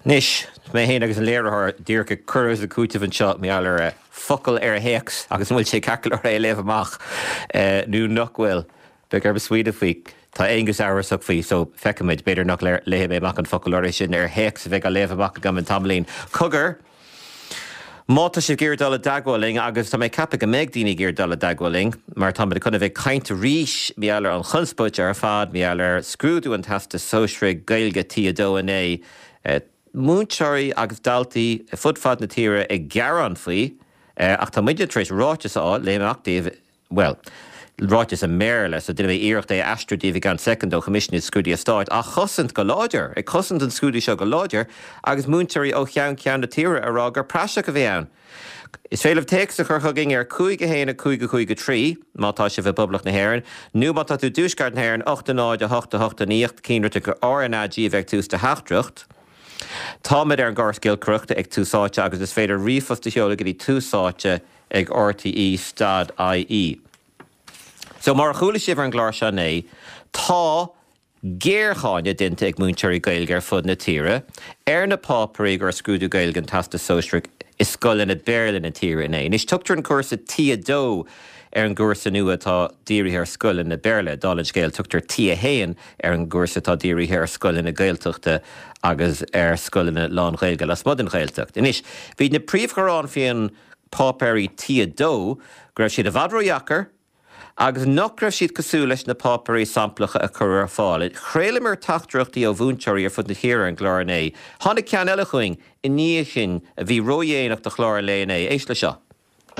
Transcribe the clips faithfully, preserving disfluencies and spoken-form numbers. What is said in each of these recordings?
Anois, mé féin agus an léiritheoir díreach ag cur is ag cúiteamh anseo mar gheall ar focal ar théacs agus an bhfuil sé ceart é a léamh amach nó nach bhfuil. Beidh orm smaoineamh faoi. Tá Aonghus amhrasach faoi, so feicfimid, b'fhéidir nach léifidh mé amach an focal áirithe sin ar théacs a bheidh á léamh amach agam in tamaillín. Cogar, má tá sibh ag iarraidh dul i dteagmháil linn, agus tá mé ag ceapadh go mbeidh daoine ag iarraidh dul i dteagmháil linn, mar táimid chun a bheith ag caint arís mar gheall ar an chonspóid ar fad, mar gheall ar scrúdú an Teastais Sóisearaigh Gaeilge T a dó inné, múinteoirí agus daltaí fud fad na tíre ag gearán faoi, ach tá muidne tar éis ráiteas a fháil, léifidh mé amach daoibh, bhuel, ráiteas i mBéarla, so déanfaidh mé iarracht é a aistriú daoibh i gceann soicind ó Choimisiún na Scrúduithe Stáit, á chosaint go láidir, ag cosaint an scrúdú seo go láidir, agus múinteoirí ó cheann ceann na tíre ag rá gur praiseach a bhí ann. Is féidir libh téacs a chur chugainn ar cúig a haon a cúig a cúig a trí má tá sibh i bPoblacht na hÉireann, nó má tá tú i dTuaisceart na hÉireann, ocht a náid a hocht a hocht a naoi, cinnte gur R N A G a bheidh ag tús do theachtaireacht. Táimid ar an gcóras giolcaireachta ag Tús Áite agus is féidir ríomhphost a sheoladh go dtí túsáite ag R T E stad I E. So mar a chuala sibh ar an gclár seo inné, tá géarcháineadh déanta ag múinteoirí Gaeilge ar fud na tíre ar na páipéirí gur scrúdú Gaeilge an Teastas Sóisearach i scoileanna Béarla na tíre inné. Anois tugtar an cúrsa T a dó ar an gcúrsa nua atá dírithe ar scoileanna Béarla. Dála an scéil, tugtar T a haon ar an gcúrsa atá dírithe ar scoileanna Gaeltachta agus ar scoileanna lán-Ghaeilge lasmuigh den Ghaeltacht. Anois, bhí na príomhghearáin faoin páipéirí T a dó go raibh siad i bhfad ródheacair, agus nach raibh siad cosúil leis na páipéirí samplacha a cuireadh ar fáil. Chraolamar teachtaireachtaí ó mhúinteoirí ar fud na tíre ar an gclár inné. Tháinig ceann eile chugainn i ndiaidh sin a bhí ródhéanach do chlár an lae inné. Éist le seo.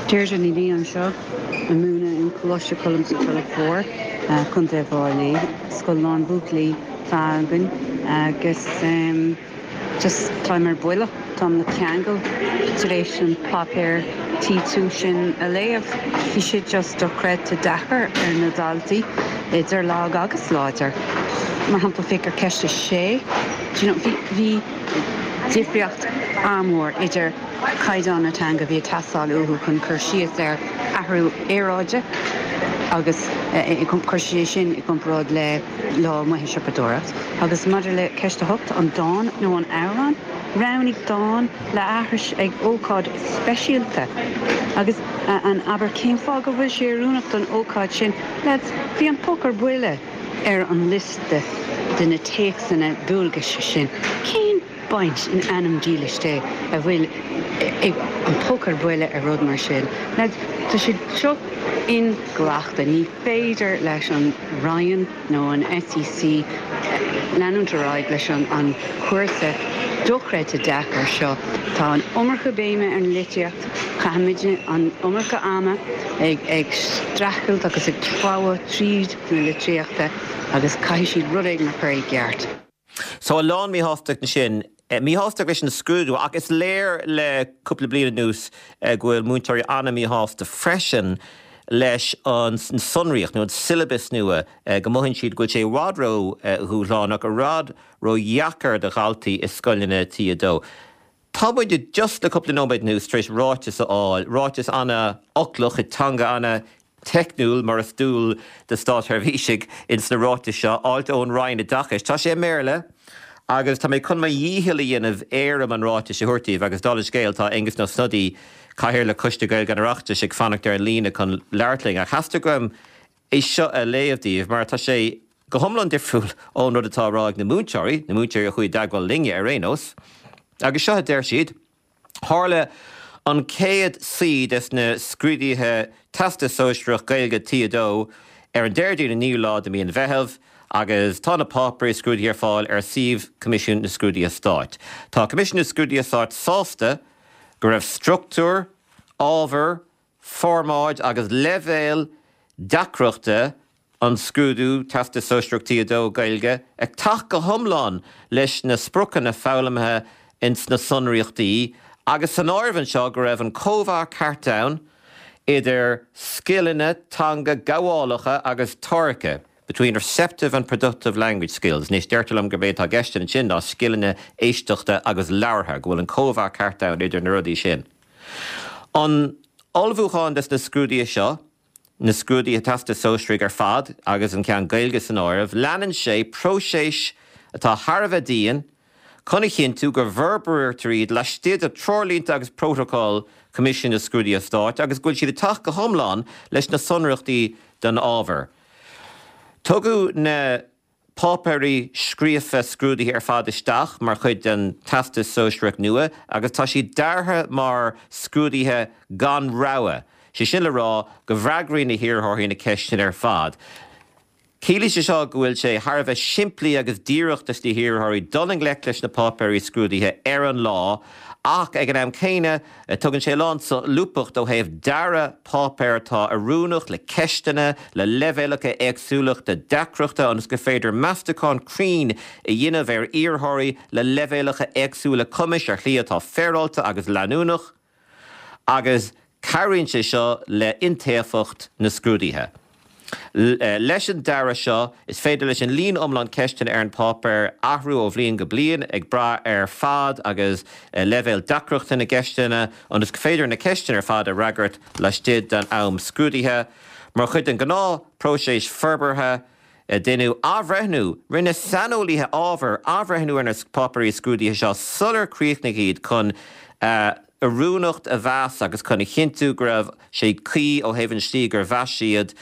Deirdre Ní Lia anseo ag múineadh in Coláiste Choilm sa Tulach Mhór, Contae Bhaile Átha Cliath, scoil lán buachaillí againn agus um, just táim ar buile, táim le ceangal tar éis an páipéar T two sin a léamh. Bhí sé just dochreidte deacair ar na daltaí idir lag agus láidir. Mar shampla, féach ar ceist a sé, bhí bhí difríocht an-mhór idir caighdeán na teanga bhí ag teastáil uathu chun cur síos ar athrú aeráide agus chur sé sin i gcomparáid le lá amuigh ag siopadóireacht. Agus maidir le ceist a hocht, an dán nó an amhrán, roghnaigh dán le haithris ag ócáid speisialta. Agus an abair cén fáth go bhfuil sé oiriúnach don ócáid sin, Lads, bhí an poc ar buile ar an liosta de na téacsanna dualgais sin. Cén baint in ainm dílis Dé a bhfuil ag an poc ar buile ar rud mar sin? Lads, tá sé seo inghlactha, ní féidir leis an Roinn nó an S E C leanúint ar aghaidh leis an an chúrsa dochreidte deacair seo. Tá an iomarca béime ar an litríocht, caithimid an iomarca ama ag ag streachailt agus ag treabhadh tríd na litríochta agus caithfidh siad rud éigin a chur i gceart. So a lán míshástacht sin, míshásta leis an scrúdú, ach is léir le cúpla bliain anuas go bhfuil múinteoirí an-mhíshásta freisin leis an sonraíocht nó an syllabus nua, go mothaíonn siad go bhfuil sé i bhfad ró-dhúshlánach, i bhfad ródheacair do dhaltaí i scoileanna T a dó. Tá muid just le cúpla nóiméad anuas tar éis ráiteas a fháil, ráiteas an-fhoclach i teanga an-teicniúil mar is dual do státsheirbhísigh ins na ráitis seo, áilt ón Roinn Oideachais. Tá sé i mBéarla agus tá mé chun mo dhícheall a dhéanamh éirim an ráitis a thabhairt daoibh agus dála an scéil tá Aengus Ó Snodaigh, Cathaoirleach Choiste Gaeilge an Oireachtais, ag fanacht ar an líne chun labhairt linn. Ach theastaigh uaim é seo a léamh daoibh mar tá sé go hiomlán difriúil ón rud atá á rá ag na múinteoirí, na múinteoirí a chuaigh i dteagmháil linne ar aon nós. Agus seo a deir siad: Tharla an chéad suí des na scrúduithe Teastas Sóisearach Gaeilge T a dó ar an Déardaoin an naoú lá de mí an Mheithimh agus tá na páipéirí scrúdaithe ar fáil ar suíomh Coimisiún na Scrúduithe Stáit. Tá Coimisiún na Scrúduithe Stáit sásta go raibh struchtúr, ábhar, formáid agus leibhéal deacrachta an scrúdú Teastas Sóisearach T a dó Gaeilge ag teacht go hiomlán leis na spriocanna foghlamtha ins na sonraíochtaí agus san áireamh anseo go raibh an cóimheá ceart ann idir scileanna teanga gabhálacha agus táirgthe, between receptive and productive language skills. Anois deirtear liom gurb é atá i gceist ansin ná scileanna éisteachta agus labhartha, go bhfuil an cóimheá ceart ann idir na rudaí sin. An ullmhúchán des na scrúduithe seo, na scrúduithe Teastais Sóisearaigh ar fad agus an ceann Gaeilge san áireamh, leanann sé próiseas atá thar a bheith dian chun a chinntiú go bhforbraítear iad laistigh de treoirlínte agus prótacal Choimisiún na Scrúduithe Stáit agus go bhfuil siad ag teacht go hiomlán leis na sonraíochtaí don ábhar. Tugadh na páipéirí scríofa scrúdaithe ar fad isteach mar chuid den Teastas Sóisearach nua agus tá siad deartha mar scrúduithe gan rogha, sé sin le rá go bhfreagraíonn na hiarrthóirí na ceisteanna ar fad. Ciallaíonn sé seo go bhfuil sé thar a bheith simplí agus díreach dos na hiarrthóirí dul i ngleic leis na páipéirí scrúdaithe ar an lá ach ag an am céanna tugann sé a lán solúbthacht ó thaobh dearadh páipéar atá oiriúnach le ceisteanna le leibhéalacha éagsúlachta deacrachta ionas gur féidir meastachán cruinn a dhéanamh ar iarrthóirí le leibhéalacha éagsúla cumais ar shlí atá féaráilte agus leanúnach agus cabhraíonn sé seo le iontaofacht na scrúduithe. Leis an dearadh seo, is féidir leis an líon iomlán ceisteanna ar an bpáipéar athrú ó bhliain go bliain, ag brath ar fad agus leibhéal deacrachta na gceisteanna, ionas gur féidir na ceisteanna ar fad a fhreagairt laistigh den am scrúdaithe. Mar chuid den ghnáthphróiseas forbartha, deineadh athbhreithniú, rinne saineolaithe ábhair athbhreithniú ar na páipéirí scrúdaithe seo sular críochnaíodh iad chun a oiriúnacht a mheas agus chun a chinntiú go raibh sé cuí ó thaobh an tslí gur mheas siad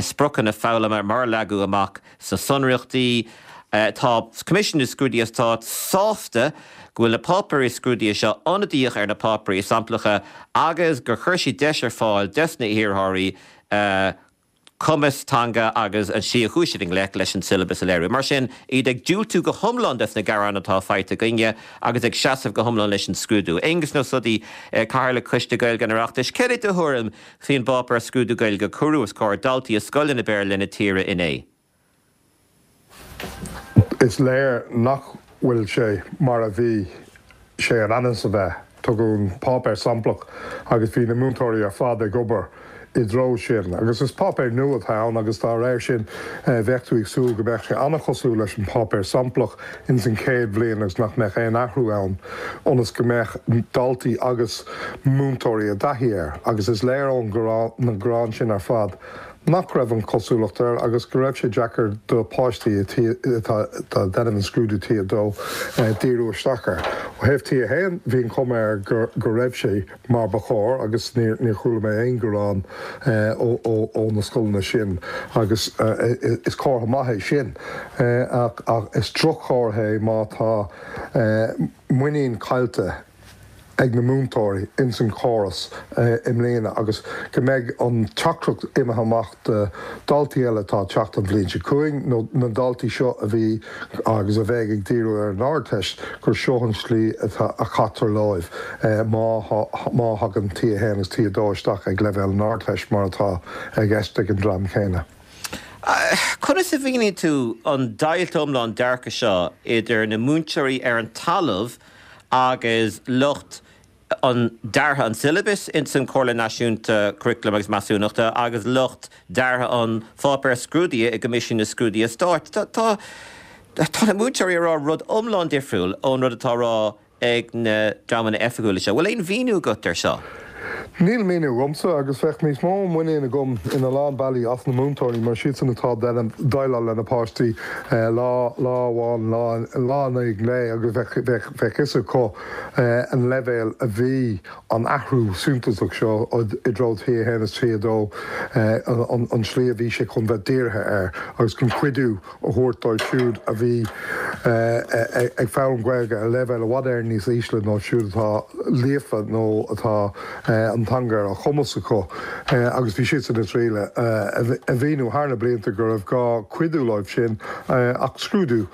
spriocanna foghlama mar a leagadh amach sna sonraíochtaí. Tá Coimisiún na Scrúduithe Stáit sásta go bhfuil na páipéirí scrúdaithe seo ionadaíoch ar na páipéirí samplacha agus gur chuir siad deis ar fáil des na hiarrthóirí a cumas teanga agus an tslí a chuaigh siad i ngleic leis an siollabas a léiriú. Mar sin, iad ag diúltú go hiomlán des na gearáin atá faighte againne agus ag seasamh go hiomlán leis an scrúdú. Aengus Ó Snodaigh, Cathaoirleach Choiste Gaeilge an Oireachtais, céard é do thuairim faoin bpáipéar scrúdú Gaeilge a cuireadh os comhair daltaí i scoileanna Béarla na tíre inné? Is léir nach bhfuil sé mar a bhí sé in ainm is a bheith. Tugadh an páipéar samplach agus bhí na múinteoirí ar fad ag obair i dtreo sin. Agus is páipéar nua atá ann agus dá réir sin bheadh tú ag súil go mbeadh sé an-chosúil leis an bpáipéar samplach ins an chéad bhliain agus nach mbeadh aon athrú ann ionas go mbeadh daltaí agus múinteoirí i dtaithí air. Agus is léir ón na gearáin sin ar fad nach raibh an chosúlacht air agus go raibh sé deacair do pháistí atá ag déanamh an scrúdú T a dó díriú isteach air. Ó thaobh T a haon, bhí an chuma air go raibh sé mar ba chóir agus níor chuala mé aon ghearán ó na scoileanna sin agus is comhartha maith é sin ach is droch-chomhartha é má tá muinín caillte ag na múinteoirí ins an chóras i mbliana agus go mbeidh an teachtaireacht imithe amach do daltaí eile atá ag teacht an bhliain seo chugainn nó na daltaí seo a bhí agus a bheidh ag díriú ar an Ardteist gur seo an slí atá a chaitear leo má má thagann T a haon agus T a dó isteach ag leibhéal an Ardteist mar atá i gceist ag an dream céanna. Conas a mhíníonn tú an deighilt iomlán dearcaidh seo idir na múinteoirí ar an talamh agus lucht an deartha an tsiollabais ins an Chomhairle Náisiúnta Curaclaim agus Measúnachta agus lucht deartha an pháipéir scrúdaithe i gCoimisiún na Scrúduithe Stáit. Tá tá na múinteoirí ag rá rud iomlán difriúil ón rud atá á rá ag na dreamanna oifigiúla seo. Bhfuil aon mhíniú agat ar seo? Níl míniú agamsa agus bheadh níos mó muinín agam ina lán bealaí as na múinteoirí mar siadsan atá ag déileáil le na páistí lá lá amháin lá lá in aghaidh lae agus bheadh bheadh bheadh fhios acu an leibhéal a bhí an athrú suntasach seo i dtreo T a haon is T a dó an an slí a bhí sé chun bheith dírithe air agus chun cuidiú a thabhairt dóibh siúd a bhí ag foghlaim Gaeilge ar leibhéal i bhfad Éireann níos ísle ná siúd atá líofa nó atá an teanga ar a chumas acu agus bhí siadsan ag triail a mhíniú thar na blianta go raibh gá cuidiú leo sin ach scrúdú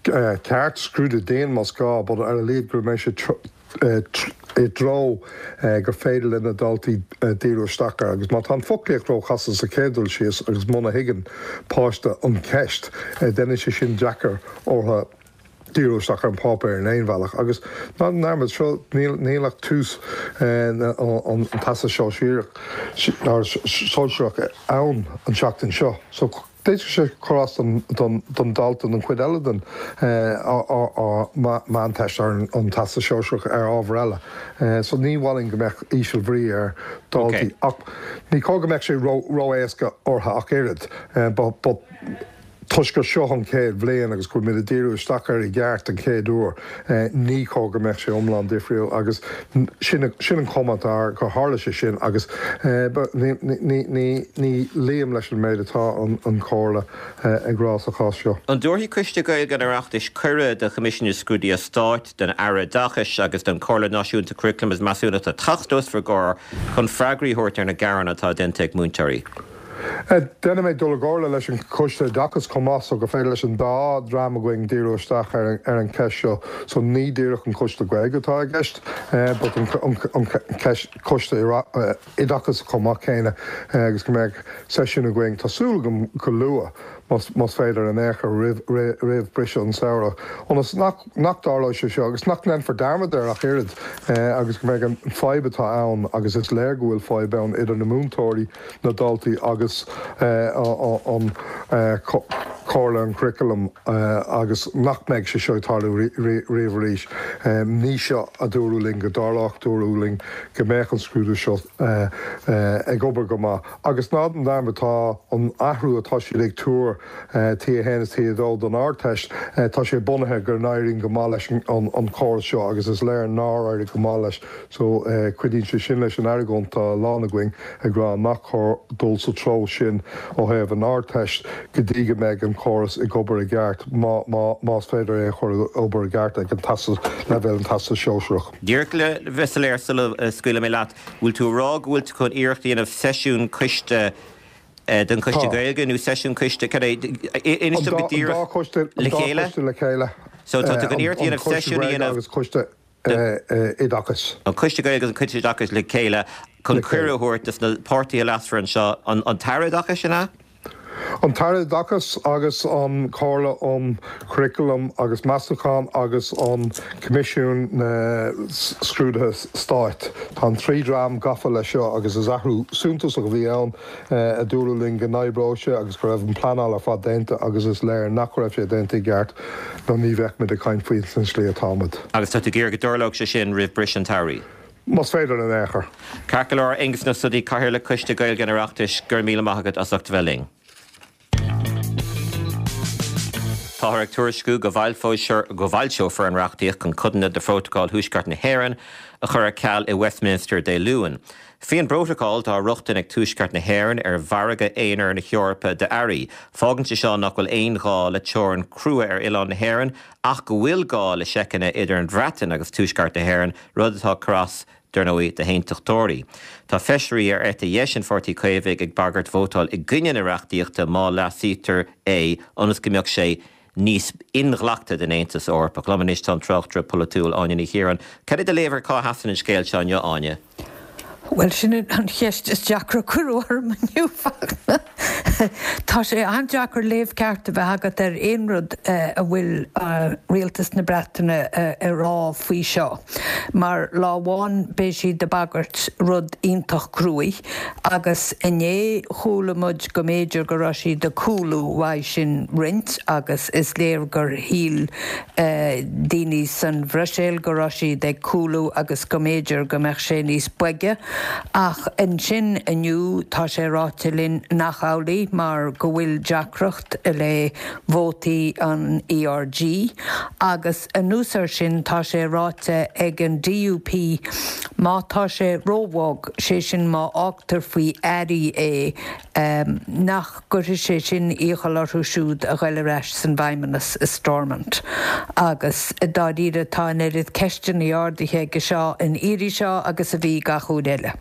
ceart, scrúdú dian más gá, but ar a laghad go mbeidh sé i dtreo gur féidir le na daltaí díriú isteach air agus má tá an foclaíocht róchasta sa chéad dul síos agus muna thuigeann páiste an cheist, déanann sé sin deacair orthu díriú isteach ar an bpáipéar in aon bhealach. Agus ná déan dearmad, seo, níl, níl ach tús an Teastas Sóisearach ann an tseachtain seo. So d'fhéadfadh sé cur as don dalta don chuid eile den Mheánteist ar an Teastas Sóisearach ar ábhar eile. So ní mhaith linn go mbeadh ísealbhrí ar dhaltaí. Ach ní cóir go mbeadh sé ró-éasca orthu ach oiread. But Toisc gur seo an chéad bhliain agus go bhfuil muid ag díriú isteach air i gceart an chéad uair, ní chóir go mbeadh sé iomlán difriúil agus sin sin an chuma atá air gur tharla sé sin agus ní luím leis an méid atá an Chomhairle ag rá sa chás seo. An dtabharfaidh Coiste Gaeilge an Oireachtais cuireadh do Choimisiún na Scrúduithe Stáit, don Aire Oideachais agus don Chomhairle Náisiúnta Curaclaim agus Measúnachta teacht os bhur gcomhair chun freagraí a thabhairt ar na gearáin atá déanta ag múinteoirí? Déanfaidh mé dul i gcomhairle leis an Choiste Oideachais chomh maith so gur féidir leis an dá dhream againn díriú isteach ar an cheist seo. So ní díreach an Coiste Gaeilge atá i gceist but an Coiste Oideachais chomh maith céanna agus go mbeidh seisiún againn, tá súil agam go luath más féidir in aon chor roimh briseadh an samhradh, ionas nach dtarlóidh sé seo agus nach ndéanfar dearmad air ach oiread agus go mbeidh an fadhb atá ann agus is léir go bhfuil fadhb ann idir na múinteoirí, na daltaí agus an Chomhairle an Churaclaim agus nach mbeidh sé seo ag tarlú riamh arís. Ní seo a dúradh linn go dtarlódh, dúradh linn go mbeadh an scrúdú seo ag obair go maith agus ná déan dearmad tá an athrú atá siad ag tuar T a haon is T a dó don Ardteist, tá sé bunaithe go n-éiríonn go maith leis an chóras seo agus is léir nár éirigh go maith leis so cuidíonn sé sin leis an argóint atá a lán againn ag rá nach cóir dul sa treo sin ó thaobh an Ardteist go dtí go mbeidh an córas ag obair i gceart, más féidir é a chur ag obair i gceart ag an teastas, leibhéal an Teastas Sóisearach. Díreach le bheith soiléir sula scaoilfidh mé leat, bhfuil tú ag rá go bhfuil tú chun iarracht a dhéanamh seisiún coiste den Choiste Gaeilge nó seisiún coiste, cad é, inis dom go díreach, le chéile? An dá choiste le chéile. So tá tú chun iarracht a dhéanamh seisiún a dhéanamh. Agus coiste Oideachais. An Coiste Gaeilge agus an Coiste Oideachais le chéile chun cuireadh a thabhairt dos na páirtithe leasmhara anseo, an tAire Oideachais, an ea? An tAire Oideachais agus an Chomhairle um Churaclam agus Measúnachán agus an Coimisiún na Scrúduithe Stáit. Tá an trí dhream gafa leis seo agus is athrú suntasach a bhí ann a dúradh linn go n-oibreodh sé agus go raibh an pleanáil ar fad déanta agus is léir nach raibh sé déanta i gceart nó ní bheadh muid ag caint faoi san slí atá muid. Agus tá tú ag iarraidh go dtarlódh sé sin roimh briseadh an tsamhraidh? Más féidir in aon chor. Ceart go leor, Aengus Ó Snodaigh, Cathaoirleach Coiste Gaeilge an Oireachtais, go raibh míle maith agat as ucht a bheith linn. Táthar ag tuairisciú go bhfoilseofar an reachtaíocht chun codanna de Phrótacal Thuaisceart na hÉireann a chur ar ceal i Westminster Dé Luain. Faoin bprótacal tá rochtain ag Tuaisceart na hÉireann ar mhargadh aonair na hEorpa d'earraí. Fágann sé seo nach bhfuil aon ghá le teorainn chrua ar oileán na hÉireann ach go bhfuil gá le seiceanna idir an Bhreatain agus Tuaisceart na hÉireann, rud atá ag cur as dar ndóigh, do haontachtóirí. Tá feisirí ar eite dheis an Pháirtí Chaomhaigh ag bagairt vótáil i gcoinne na reachtaíochta má leasaítear é ionas go mbeadh sé níos inghlactha don Aontas Eorpach. Liom anois tá an tráchtaire polaitiúil Áine Ní Chiaráin. Cad é do léamh ar cá sheasann an scéal seo inniu, Áine? Bhuel, sin an cheist is deacra a cuireadh orm inniu, Fachtna. Tá sé an-deacair léamh ceart a bheith agat ar aon rud a bhfuil Rialtas na Breataine a rá faoi seo, mar lá amháin beidh siad ag bagairt rud iontach cruaidh agus inné chuala muid go mb'fhéidir go raibh siad ag cúlú uaidh sin roinnt agus is léir gur shíl daoine san Bhruiséil go raibh siad ag cúlú agus go mb'fhéidir go mbeadh sé níos boige. Ach ansin inniu tá sé ráite linn nach amhlaidh mar go bhfuil deacracht le vótaí an ERG agus anuas air sin tá sé ráite ag an DUP má tá sé róbhog, sé sin má fhágtar faoi airí é, nach gcuirfidh sé sin iachall orthu siúd a ghoil ar ais san bhFeidhmeannas i Stormont. Agus dáiríre tá an oiread ceisteanna ardaithe aige seo an iarraidh seo agus a bhí gach uair eile.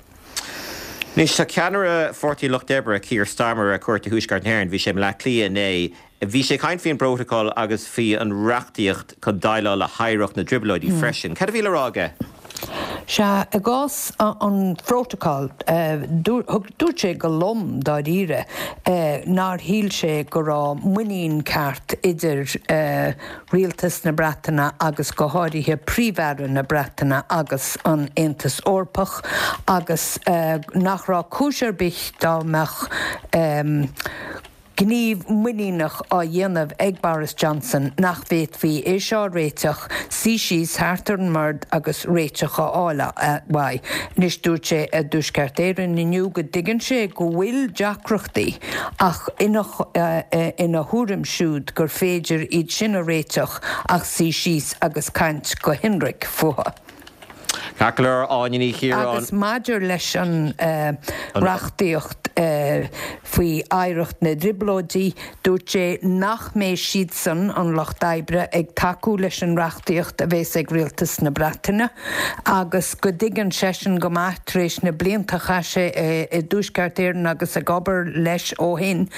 Anois, tá ceannaire Pháirtí an Lucht Oibre, Keir Starmer, ar cuairt i Thuaisceart na hÉireann. Bhí sé i mBleá Cliath inné. Bhí sé ag caint faoin bprótacal agus faoi an reachtaíocht chun déileáil le hoidhreacht na dTrioblóidí freisin. Cad a bhí le rá aige? Sea, i gcás an phrótacail, dúirt sé go lom dáiríre nár shíl sé go raibh muinín ceart idir rialtas na Breataine agus go háirithe Príomh-Aire na Breataine agus an Aontas Eorpach agus nach raibh cúis ar bith dá mbeadh gníomh muiníneach á dhéanamh ag Boris Johnson nach bhféadfaí é seo a réiteach suí síos thart ar an mbord agus réiteach a fháil uaidh. Anois dúirt sé i dTuaisceart Éireann inniu go dtuigeann sé go bhfuil deacrachtaí ach ina ina thuairim siúd gur féidir iad sin a réiteach ach suí síos agus caint go hionraic fúthu. Ceart go leor, Áine Ní Chiaráin. Agus maidir leis an reachtaíocht faoi oidhreacht na dTrioblóidí, dúirt sé nach mbeidh siadsan, an Lucht Oibre, ag tacú leis an reachtaíocht a bheas ag Rialtas na Breataine agus go dtuigeann seisean go maith, tar éis na blianta a chaith sé i dTuaisceart Éireann agus ag obair leis ó shin,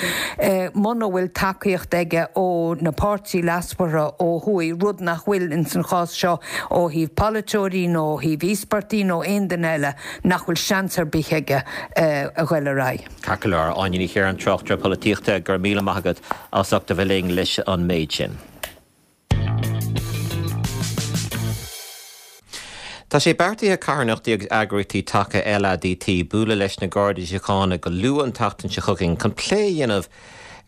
muna bhfuil tacaíocht aige ó na páirtithe leasmhara ó thuaidh, rud nach bhfuil ins an chás seo ó thaobh polaiteoirí nó ó thaobh íospartaigh nó aon duine eile, nach bhfuil seans ar bith aige a ghoil ar aghaidh. Ceart go leor, Áine Ní Chiaráin, tráchtaire polaitíochta, go raibh míle maith agat as ucht a bheith linn leis an méid sin. Tá sé beartaithe carthanachtaí agus eagraíochtaí taca LADT bualadh leis na Gardaí Síochána go luath an tseachtain seo chugainn chun plé a dhéanamh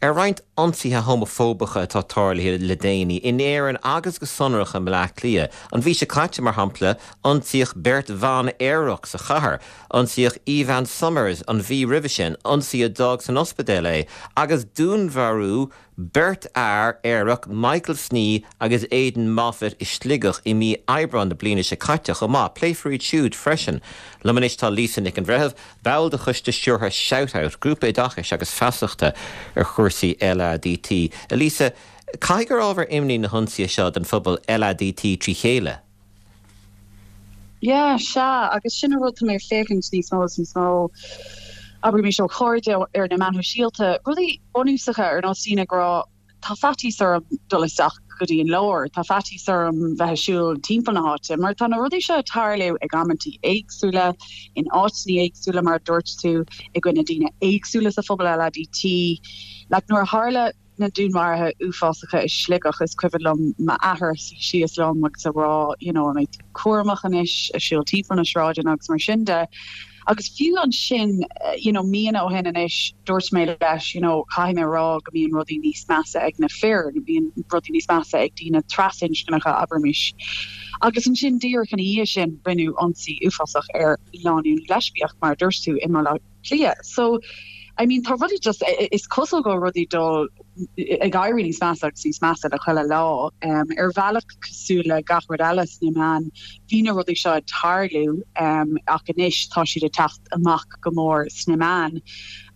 ar roinnt ionsaithe homafóbacha atá tarlaithe le déanaí in Éirinn agus go sonrach i mBleá Cliath. An mhí seo caite, mar shampla, ionsaíodh beirt bhan aerach sa chathair, ionsaíodh Evan Summers an mhí roimhe sin, ionsaí a d'fhág san ospidéal é, agus dúnmharú beirt fhear aerach, Michael Snee agus Aidan Moffitt i Sligeach i mí Aibreáin na bliana seo caite chomh maith. Pléifear iad siúd freisin. Liom anois tá Lisa Nic an Bhreithimh, ball de choiste stiúrtha Shout Out, grúpa oideachais agus feasachta ar chúrsaí LADT. A Lisa, caithfidh gur ábhar imní na hionsaithe seo don phobal LADT trí chéile? Yeah, sea, agus sin an rud tá mé ag féachaint níos mó is níos mó, abraimis ó chairde ar na meáin shóisialta, rudaí bunúsacha ar nós daoine ag rá tá faitíos orm dul isteach go dtí an lár, tá faitíos orm bheith ag siúl timpeall na háite, mar tá na rudaí seo ag tarlú ag amantaí éagsúla, in áiteanna éagsúla mar a dúirt tú, i gcoinne daoine éagsúla sa phobal LADT. Like nuair a tharla na dúnmharuithe uafásacha i Sligeach, is cuimhin liom m'athair suí síos liom agus a rá, you know, an mbeidh tú cúramach anois ag siúl timpeall na sráideanna agus mar sin de. Agus fiú ansin, you know, míonna ó shin anois, dúirt mé leis, you know, caithfidh mé a rá go mbíonn rudaí níos measa ag na fir, go mbíonn rudaí níos measa ag daoine trasinscneacha, abraimis. Agus ansin díreach ina dhiaidh sin, rinneadh ionsaí uafásach ar lánúin leispiach, mar a dúirt tú, i mBaile Átha Cliath. So, I mean, tá rudaí just, is cosúil go bhfuil rudaí dul ag éirí níos measa agus níos measa le chuile lá. Ar bhealach cosúil le gach rud eile sna meáin, bhí na rudaí seo ag tarlú ach anois tá siad ag teacht amach go mór sna meáin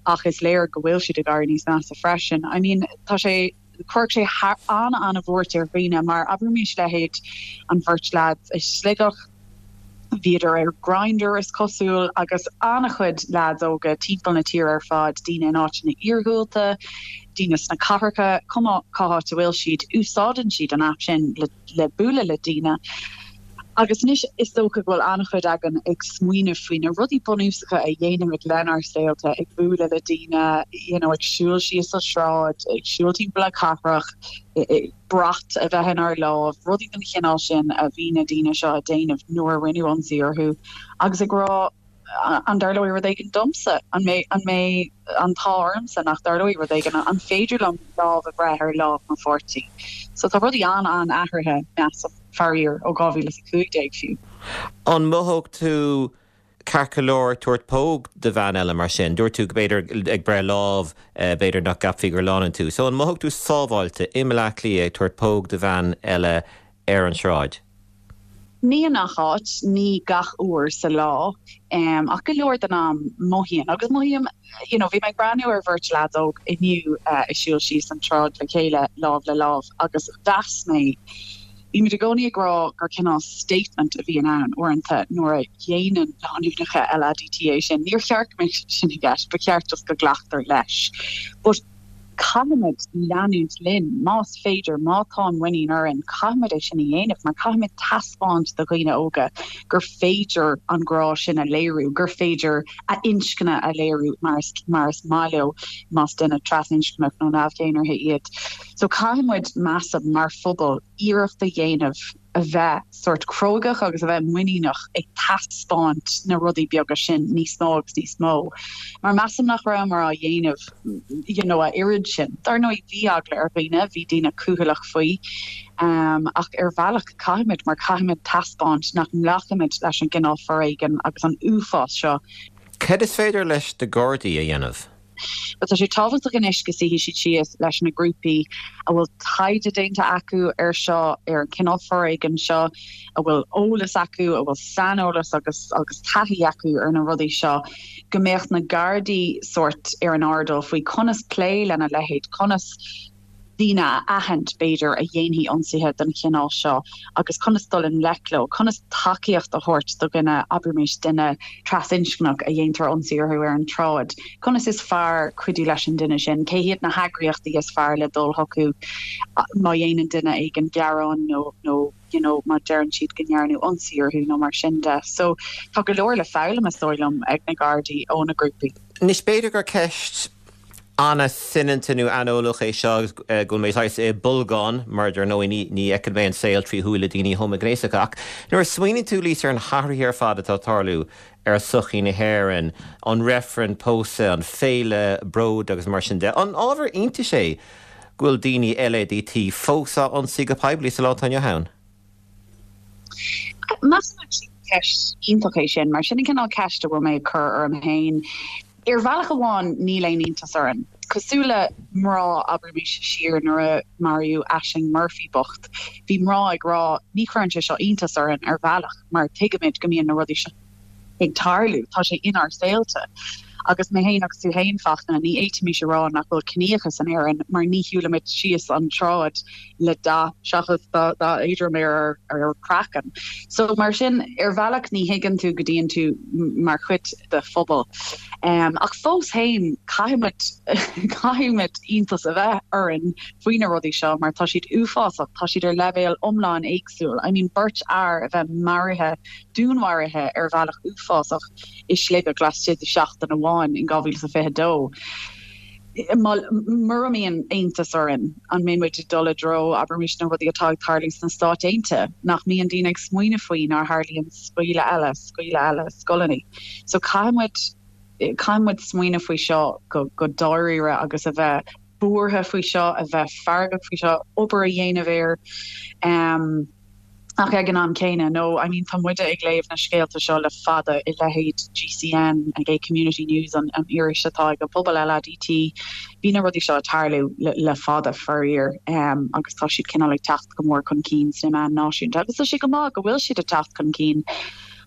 ach is léir go bhfuil siad ag éirí níos measa freisin. I mean, tá sé, chuirfeadh sé an-an-bhuairt ar dhaoine mar abraimis leithéid an bheirt leaids i Sligeach, Bhíodar ar Grindr is cosúil agus an-chuid leaids óga timpeall na tíre ar fad, daoine in áiteanna iargúlta, daoine sna cathracha, cuma cá háit a bhfuil siad, úsáideann siad an aip sin le bualadh le daoine. Agus anois is dócha go bhfuil an-chuid againn ag smaoineamh faoi na rudaí bunúsacha a dhéanaimid lenár saolta, ag bualadh le daoine, you know, ag siúl síos an tsráid, ag siúl timpeall na cathrach, brat a bheith inár lámh, rudaí den chineál sin a bhí na daoine seo ag déanamh nuair a rinneadh ionsaí orthu agus ag rá an dtarlóidh rud éigin domsa? An mbeidh an mbeidh an t-ádh ormsa nach dtarlóidh rud éigin? An féidir liom lámh a bhreith ar lámh mo pháirtí? So tá rudaí an-an-athraithe, measaim, faraor, ó dhá mhíle is a cúig déag fiú. An mothódh tú ceart go leor ag tabhairt póg do bhean eile mar sin? Dúirt tú go b'fhéidir ag breith lámh, b'fhéidir nach gceapfaí gur lánúin tú. So an mothódh tú sábháilte i mBleá Cliath ag tabhairt póg do bhean eile ar an sráid? Ní i ngach áit, ní gach uair sa lá, ach go leor den am mothaím. Agus mothaím, you know, bhí mé ag breathnú ar bheirt leaids óg inniu ag siúl síos an tsráid le chéile, lámh le lámh, agus mheas mé, Bímid i gcónaí ag rá gur cineál statement a bhíonn ann uaireanta nuair a dhéanann lánúineacha LADT é sin. Níor cheart go mbeadh sin i gceist, ba cheart just go nglactar leis. But caithfimid leanúint linn, más féidir, má tá an muinín orainn, caithfimid é sin a dhéanamh mar caithfimid taispeáint do dhaoine óga gur féidir an grá sin a léiriú, gur féidir a n-inscne a léiriú mar is mar is maith leo, más duine trasinscneach nó neamh-dhénártha iad. So caithfidh muid measaim mar phobal iarracht a dhéanamh a bheith sort crógach agus a bheith muiníneach ag taispeáint na rudaí beaga sin níos mó agus níos mó. Mar measaim nach rabhamar á dhéanamh you know, a oiread sin. Dar ndóigh bhí eagla ar dhaoine, bhí daoine cúthaileach faoi. Um, ach ar bhealach caithfimid mar caithfimid taispeáint nach nglacaimid leis an gcineál foréigin agus an uafás seo. Cad is féidir leis na Gardaí a dhéanamh? But tá sé tábhachtach anois go suífidh siad síos leis na grúpaí a bhfuil taighde déanta acu ar seo ar an cineál foréigin seo, a bhfuil eolas acu, a bhfuil saineolas agus agus taithí acu ar na rudaí seo, go mbeadh na Gardaí sort ar an airdeall faoi conas plé lena leithéid, conas daoine a aithint b'fhéidir a dhéanfaidh ionsaithe den chineál seo agus conas dul i ngleic leo, conas tacaíocht a thabhairt do dhuine abraimis duine trasinscneach a dhéantar ionsaí orthu ar an tsráid. Conas is fearr cuidiú leis an duine sin, cé hiad na heagraíochtaí is fearr le dul chucu má dhéanann duine éigin gearán nó nó you know, má deireann siad go ndearnadh ionsaí orthu nó mar sin de. So tá go leor le foghlaim is dóigh liom ag na Gardaí ó na grúpaí. Anois b'fhéidir gur ceist an-soineanta nó aineolach é seo agus go bhfuil mé saghas i bolgán mar dar ndóigh ní ní fheiceann mé an saol trí shúile daoine homaighnéasacha ach nuair a smaoiníonn tú Lisa ar na hathruithe ar fad atá ag tarlú ar sochaí na hÉireann, an reifreann pósadh, an féile bród agus mar sin de, an ábhar iontais é go bhfuil daoine LADT fós á ionsaí go poiblí sa lá atá inniu ann? Measaim actually ceist iontach é sin, mar sin an cineál ceist a bhfuil mé ag cur orm féin. Ar bhealach amháin níl aon iontas orainn. Cosúil le mná abraimis siar nuair a maraíodh Ashling Murphy bocht, bhí mná ag rá ní chuireann sé seo iontas orainn ar bhealach mar tuigimid go mbíonn na rudaí seo ag tarlú, tá sé inár saolta. Agus mé féin agus tú féin Fachtna, ní fhéadfaimis a rá nach bhfuil ciníochas in Éirinn mar ní shiúlaimid síos an tsráid le dath seachas dath éadrom ar ar craiceann. So mar sin ar bhealach ní thuigeann tú go dtíonn tú mar chuid de phobal. Um, ach fós féin caithfimid caithfimid iontas a bheith orainn faoi na rudaí seo mar tá siad uafásach, tá siad ar leibhéal iomlán éagsúil. I mean beirt fhear a bheith maraithe dúnmharaithe ar bhealach uafásach i Sligeach laistigh de seachtain amháin in dhá mhíle is a fiche dó. Mura mbíonn iontas orainn an mbeidh muid ag dul i dtreo, abraimis, na rudaí atá ag tarlú sna Stáit Aontaithe, nach mbíonn daoine ag smaoineamh faoi nuair a tharlaíonn scaoileadh eile, scaoileadh eile scoileanna. So caithfidh muid, caithfidh muid smaoineamh faoi seo go, go dáiríre agus a bheith buartha faoi seo, a bheith feargach faoi seo, obair a dhéanamh air. Um. Ach ag an am céanna, no, I mean tá muide ag léamh na scéalta seo le fada i leithéid GCN, an Gay Community News, an an iris atá ag an bpobal LADT, bhí na rudaí seo ag tarlú le le fada faraor um, agus tá siad cineál ag teacht go mór chun cinn sna meáin náisiúnta agus tá sé go maith go bhfuil siad ag teacht chun cinn.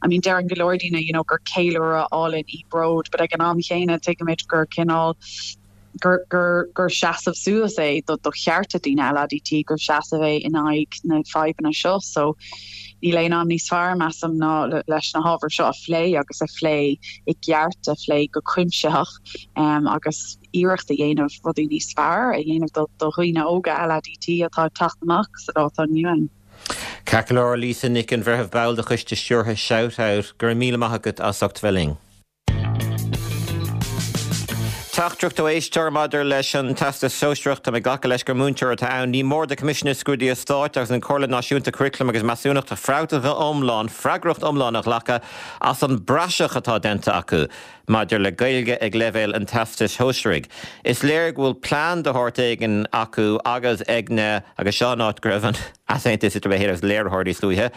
I mean deireann go leor daoine you know, gur ceiliúradh álainn í Bród, but ag an am chéanna tuigimid gur cineál gur gur gur seasamh suas é do do chearta daoine LADT, gur seasamh é in aghaidh na fadhbanna seo. So níl aon am níos fearr, measaim, ná leis na hábhair seo a phlé agus a phlé i gceart, a phlé go cuimsitheach um, agus iarracht a dhéanamh rudaí níos fearr a dhéanamh do do dhaoine óga LADT atá ag teacht amach sa lá atá inniu ann. Ceart go leor Lisa Nic an Bhreithimh, ball de choiste stiúrtha Shout Out, go raibh míle maith agat as ucht bheith linn. Teachtaireacht ó éisteoir maidir leis an Teastas Sóisearach, tá mé ag glacadh leis gur múinteoir atá ann. Ní mór do Choimisiún na Scrúduithe Stáit agus an Chomhairle Náisiúnta Curaclaim agus Measúnachta freagracht iomlán, freagracht iomlán a ghlacadh as an bpraiseach atá déanta acu maidir le Gaeilge ag leibhéal an Teastais Shóisearaigh. Is léir go bhfuil plean de shórt éigin acu agus ag na, agus seo an áit go raibh an easaontas idir mé féin agus léiritheoir níos luaithe,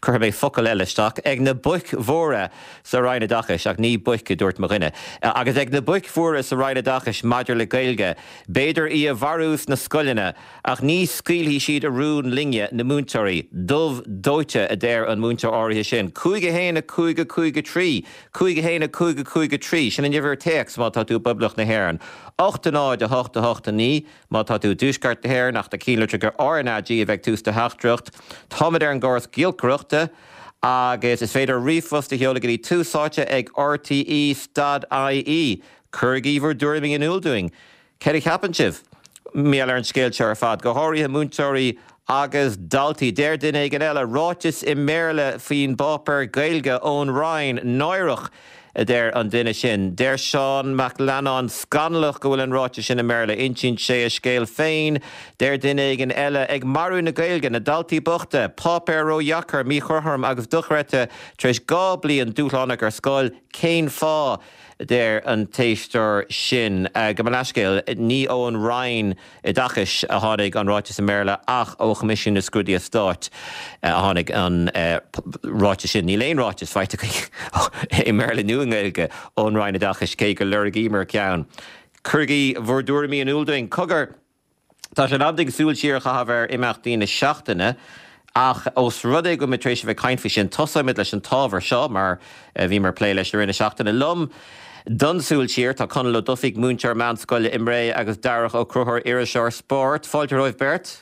Cuirfidh mé focal eile isteach, ag na boic mhóra sa Roinn Oideachais, ach ní boic a dúirt mo dhuine, agus ag na boic mhóra sa Roinn Oideachais maidir le Gaeilge, b'fhéidir í a mharú sna scoileanna, ach ní scaoilfidh siad a rún linne, na múinteoirí. Dubh dóite, a deir an múinteoir áirithe sin. Cúig a haon a cúig a cúig a trí, cúig a haon a cúig a cúig a trí, sin an uimhir téacs má tá tú i bPoblacht na hÉireann. Ocht a náid a hocht a hocht a naoi, má tá tú i dTuaisceart na hÉireann ach tá cinnte gur RnaG a bheidh tús do theachtaireacht. Táimid ar an gcóras giolcaireachta agus is féidir ríomhphost a sheoladh go dtí tús áite ag rte stad ie. Cuirigí bhur dtuairimí in iúl dúinn. Céard a cheapann sibh? Mar gheall ar an scéal seo ar fad, go háirithe múinteoirí agus daltaí. Deir duine éigin eile, ráiteas i mBéarla faoin bpáipéar Gaeilge ón Roinn, náireach! a deir an duine sin. Deir Seán Mac Leannáin scannalach go bhfuil an ráiteas sin i mBéarla insíonn sé a scéal féin, deir duine éigin eile ag marú na Gaeilge na daltaí bochta, páipéar ródheacair, míchothrom agus dochreidte tar éis dhá bliain dúshlánach ar scoil cén fáth deir an t-éisteoir sin. Gabh mo leithscéal ní ón Roinn Oideachais a tháinig an ráiteas i mBéarla ach ó Choimisiún na Scrúduithe Stáit a tháinig an ráiteas sin. Níl aon ráiteas faighte i mBéarla nó i nGaeilge ón Roinn Oideachais cé go lorgaíomar ceann. Cuirigí bhur dtuairimí in iúl dúinn cogar Tá sé am súil siar a chaitheamh ar imeachtaí na seachtaine ach os rud é go tar éis bheith caint faoi sin tosóimid leis an ábhar seo mar bhíomar ag plé leis i rith na seachtaine liom. Don súil siar tá Conall Ó Dufaigh múinteoir meánscoile i mBré agus Darach Ó Conchúir iriseoir spóirt, fáilte romhaibh beirt?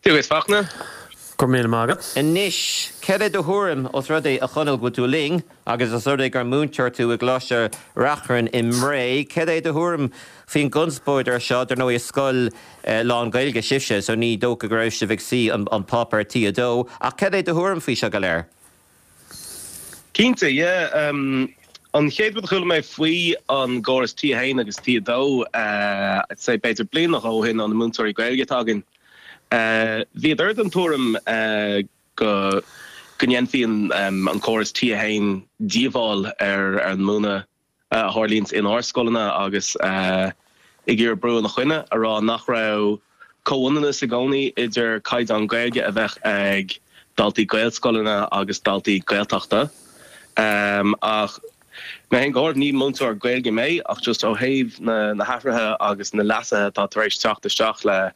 Tú is fachna? Go míle maith. Anois cad é do thuairim os rud é a Chonaill go tú linn agus os rud é gur múinteoir tú i gColáiste Reachrann i mBré, cad é do thuairim faoin gconspóid ar seo dar ndóigh scoil eh, lán-Ghaeilge sibhse, so ní dócha go raibh sibh ag suí an, an páipéar T a dó, ach cad é do thuairim faoi seo go léir? Cinnte, yeah, um, an chéad rud a chuala mé faoi an gcóras T a haon agus T a dó uh, say b'fhéidir bliain ó shin an na múinteoirí Gaeilge againn. Uh, Bhíodar den tuairim uh, go go ndéanfaidh um, an córas T a haon díobháil ar ar an múineadh uh, a tharlaíonn inár scoileanna agus uh, ag iarraidh brú ina choinne a rá nach raibh comhionannas i gcónaí idir caighdeán Gaeilge a bheith ag daltaí Gaelscoileanna agus daltaí Gaeltachta. Um, ach mé féin go ní múinteoir Gaeilge mé ach just ó thaobh na, na hathruithe agus na leasuithe atá tar éis teacht isteach le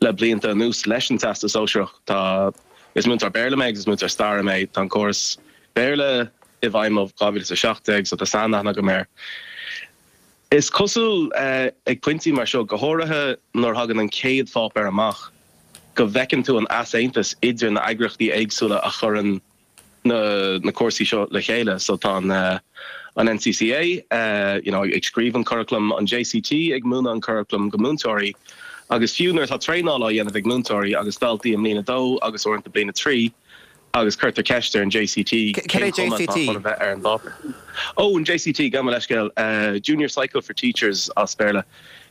le blianta anuas leis an Teastas Sóisearach tá is múinteoir Béarla mé agus múinteoir staire mé tá an córas Béarla i bhfeidhm ó dhá mhíle seacht déag so tá sainaithne agam air. Is cosúil uh, ag pointí mar seo go háirithe nuair a thagann an chéad pháipéar amach go bhfeiceann tú an easaontas idir na heagraíochtaí éagsúla a chuireann na, na cúrsaí seo le chéile, so tá an, uh, an NCCA uh, you know, ag scríobh an curriculum an JCT ag múineadh an curriculum go múinteoirí, agus fiú nuair atá traenáil á dhéanamh ag múinteoirí agus daltaí i mbliain a dó agus uaireanta bliain a trí, agus cuirtear ceist ar an JCT JCT bheith ar an bpáipéar. Ó an JCT gabh mo leithscéal uh, Junior Cycle for Teachers as Béarla.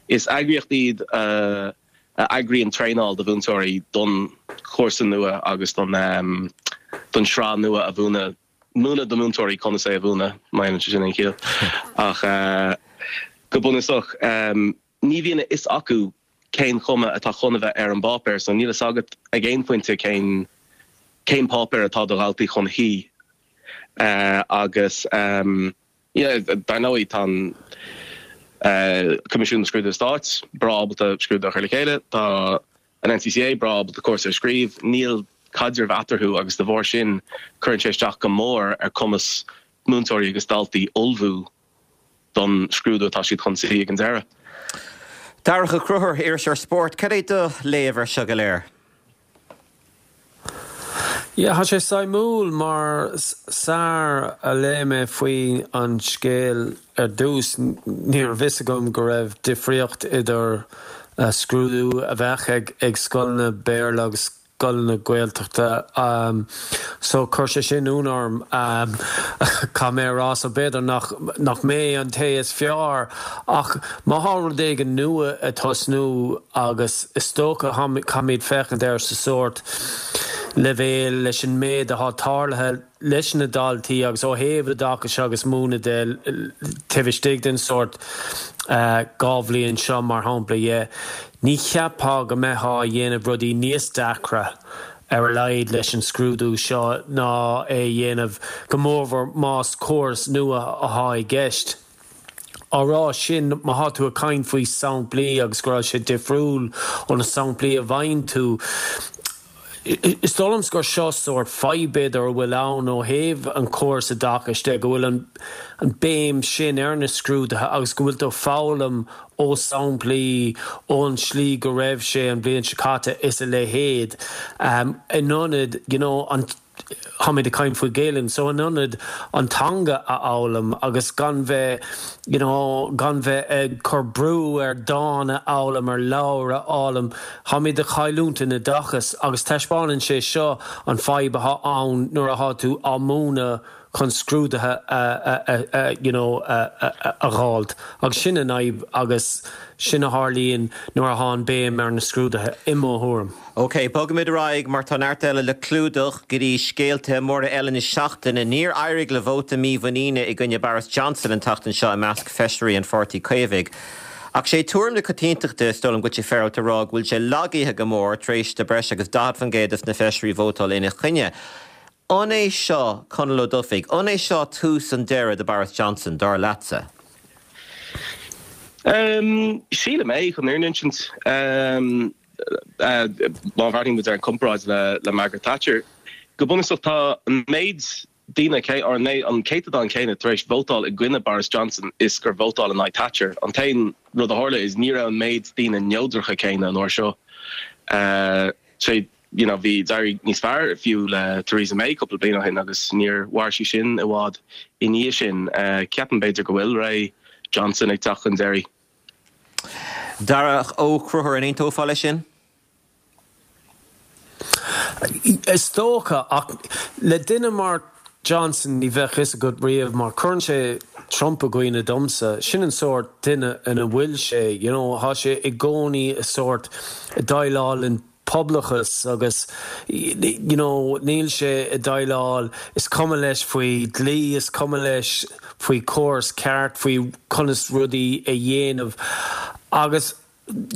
Is eagraíocht iad uh, a eagraíonn traenáil do mhúinteoirí don chúrsa nua agus don um, don sraith nua a mhúineadh múineadh do mhúinteoirí conas é a mhúineadh má sin an chiall ach uh, go bunúsach um, ní bhíonn a fhios acu cén chuma atá chun a bheith ar an bpáipéar, so níl a fhios agat ag aon phointe cén cén páipéar atá do dhaltaí chun shuí uh, agus um, yeah, dar ndóigh tá uh, Coimisiún na Scrúduithe Stáit breá ábalta scrúdú a chur le chéile tá an NCCA breá ábalta cúrsa a scríobh níl caidreamh eatarthu agus de bharr sin cuireann sé isteach go mór ar cumas múinteoirí agus daltaí ullmhú don scrúdú atá siad chun suí ag an deireadh. Darach Ó Conchúir iriseoir spóirt, cad é do léamh ar seo go léir? Ja, Tá sé suimiúil mar sar a léigh mé faoi an scéal ar dtús ní raibh a fhios agam go raibh difríocht idir uh, scrúdú a bheith ag ag scoileanna Béarla agus scoileanna Gaeltachta um, so chuir sé sin ionadh orm um, cá mé rá so b'fhéidir nach, nach mé an té is fearr ach má tá rud éigin nua ag tosnú agus is dócha caithfimid féachaint air sa sórt leibhéal leis an méid atá tarlaithe leis na daltaí agus ó thaobh oideachais agus múineadh de taobh istigh den sórt uh, dhá bhliain seo mar shampla dhe. Ní cheapfá go mbeifeá ag déanamh rudaí níos deacra ar a laghad leis an scrúdú seo ná é dhéanamh go mórmhór más córas nua atá i gceist. Á rá sin má tá tú ag caint faoi samplaí agus go raibh sé difriúil ó na samplaí a bhain tú. Is dóigh liom gur seo sórt fadhb ar a bhfuil ann ó thaobh an córas oideachais de go bhfuil an, an béim sin ar na scrúduithe agus go bhfuil tú foghlaim ó samplaí ón slí go raibh sé an bhliain seo caite is a leithéid. Um, in ionad you know, an táimid ag caint faoi Ghaeilge, so in ionad an teanga a fhoghlaim agus gan bheith you know, gan bheith ag cur brú ar dán a fhoghlaim ar leabhar a fhoghlaim, Táimid ag cailliúint in oideachas agus taispeánann sé seo an fadhb atá ann nuair atá tú á múineadh chun scrúduithe a you know a fháilt agus sin an fhadhb agus sin a tharlaíonn nuair a théann béim ar na scrúduithe i mo thuairim. Ok, bogaimid ar aghaidh mar tá neart eile le clúdach go dtí scéalta móra eile na seachtaine. Níor éirigh le vóta mímhuiníne i gcoinne Boris Johnson an tseachtain seo i measc feisirí an Pháirtí Caomhaigh. Ach sé tuairim na coitiantachta is dóigh liom go bhfuil sé féaráilte a rá go bhfuil sé lagaithe go mór tar éis do breis agus daichead faoin gcéad de na feisirí vótáil ina choinne. An é seo Conall Ó Dufaigh, an é seo tús an deireadh do Boris Johnson dar leatsa? Um, sílim é chun an insint um, uh, má bhreathnaíonn muid ar an comparáid le, le Margaret Thatcher. Go bunúsach tá an méid daoine cé ar an an céatadán céanna tar éis vótáil i gcoinne Boris Johnson is gur vótáil in aghaidh Thatcher. An t-aon rud a tharla is ní raibh an méid daoine neodracha céanna an uair seo. Uh, sé you know, bhí d'éirigh níos fearr fiú le Theresa May cúpla bliain ó shin agus níor mhair sí sin i bhfad i ndiaidh sin uh, ceapaim b'fhéidir go bhfuil ré Johnson ag teacht chun deiridh. Darach Ó Conchúir an aontófá leis sin? Is dócha ach le duine mar Johnson ní bheadh fhios agat riamh mar cuireann sé Trump i gcuimhne domsa, sin an sórt duine ina bhfuil sé, you know, tá sé i gcónaí i sórt déileáil an pobalachas agus you know, níl sé ag déileáil is cuma leis faoi dlí is cuma leis faoi córas ceart faoi conas rudaí a dhéanamh agus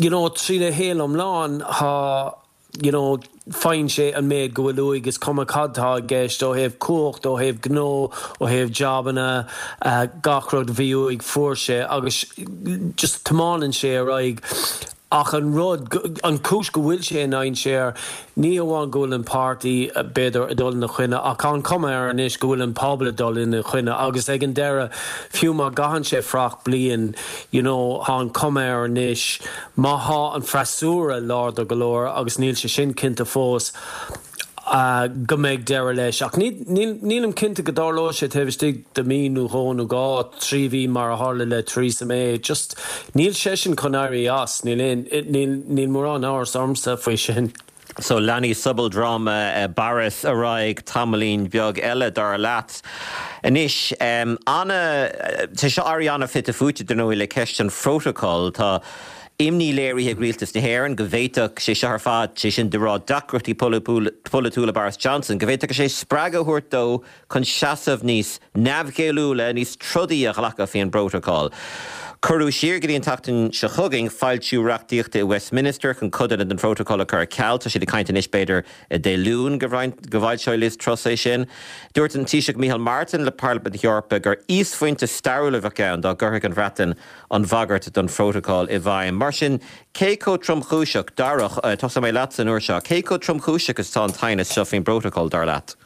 you know, trína shaol iomlán tá you know, faigheann sé an méid go bhfuil uaidh is cuma cad tá i gceist ó thaobh cumhacht ó thaobh gnó ó thaobh jabanna uh, gach rud bhí uaidh fuair sé agus just tiomáineann sé ar aghaidh ach an rud an chúis go bhfuil sé in dainséar ní amháin go bhfuil an páirtí b'fhéidir ag dul ina choinne ach an cuma air anois go bhfuil an pobal ag dul ina choinne agus ag an deireadh fiú má gcaitheann sé fuacht bliain you know tá an cuma air anois má tá an freasúra láidir go leor agus níl sé sin cinnte fós uh, go mbeidh deireadh leis ach nílim cinnte go dtarlóidh sé taobh istigh de mí nó dhó nó dhá trí mhí mar a tharla le Theresa May just níl sé sin chun éirí as níl níl mórán amhras ormsa faoi sin. So leanfaidh sobaldráma uh, Boris ar aghaidh tamaillín beag eile dar leat. Anois um, anna tá seo éirithe an-fhite fuaite dar ndóigh le ceist an phrótacail tá imní léirithe ag rialtas na hÉireann go bhféadfadh sé seo ar fad sé sin de rá deacrachtaí polaitiúla Boris Johnson, go bhféadfadh sé spreagadh a thabhairt dó chun seasamh níos neamhghéilliúla níos trodaí a ghlacadh faoin bprótacal. Cuireadh siar go dtí an tseachtain seo chugainn foilsiú reachtaíochta i Westminster chun codanna den phrótacal a chur ar ceal tá siad ag caint anois b'fhéidir Dé Luain go bhfoilseoidh Liz Truss é sin. Dúirt an Taoiseach Micheál Martin le Parlaimint na hEorpa gur íosphointe stairiúil a bheadh ann dá gcuirfeadh an Bhreatain an bhagairt don phrótacal i bhfeidhm. Mar sin cé chomh tromchúiseach Darach tosóidh mé leat an uair seo, cé chomh tromchúiseach is atá an t-aighneas seo faoin bprótacal dar leat.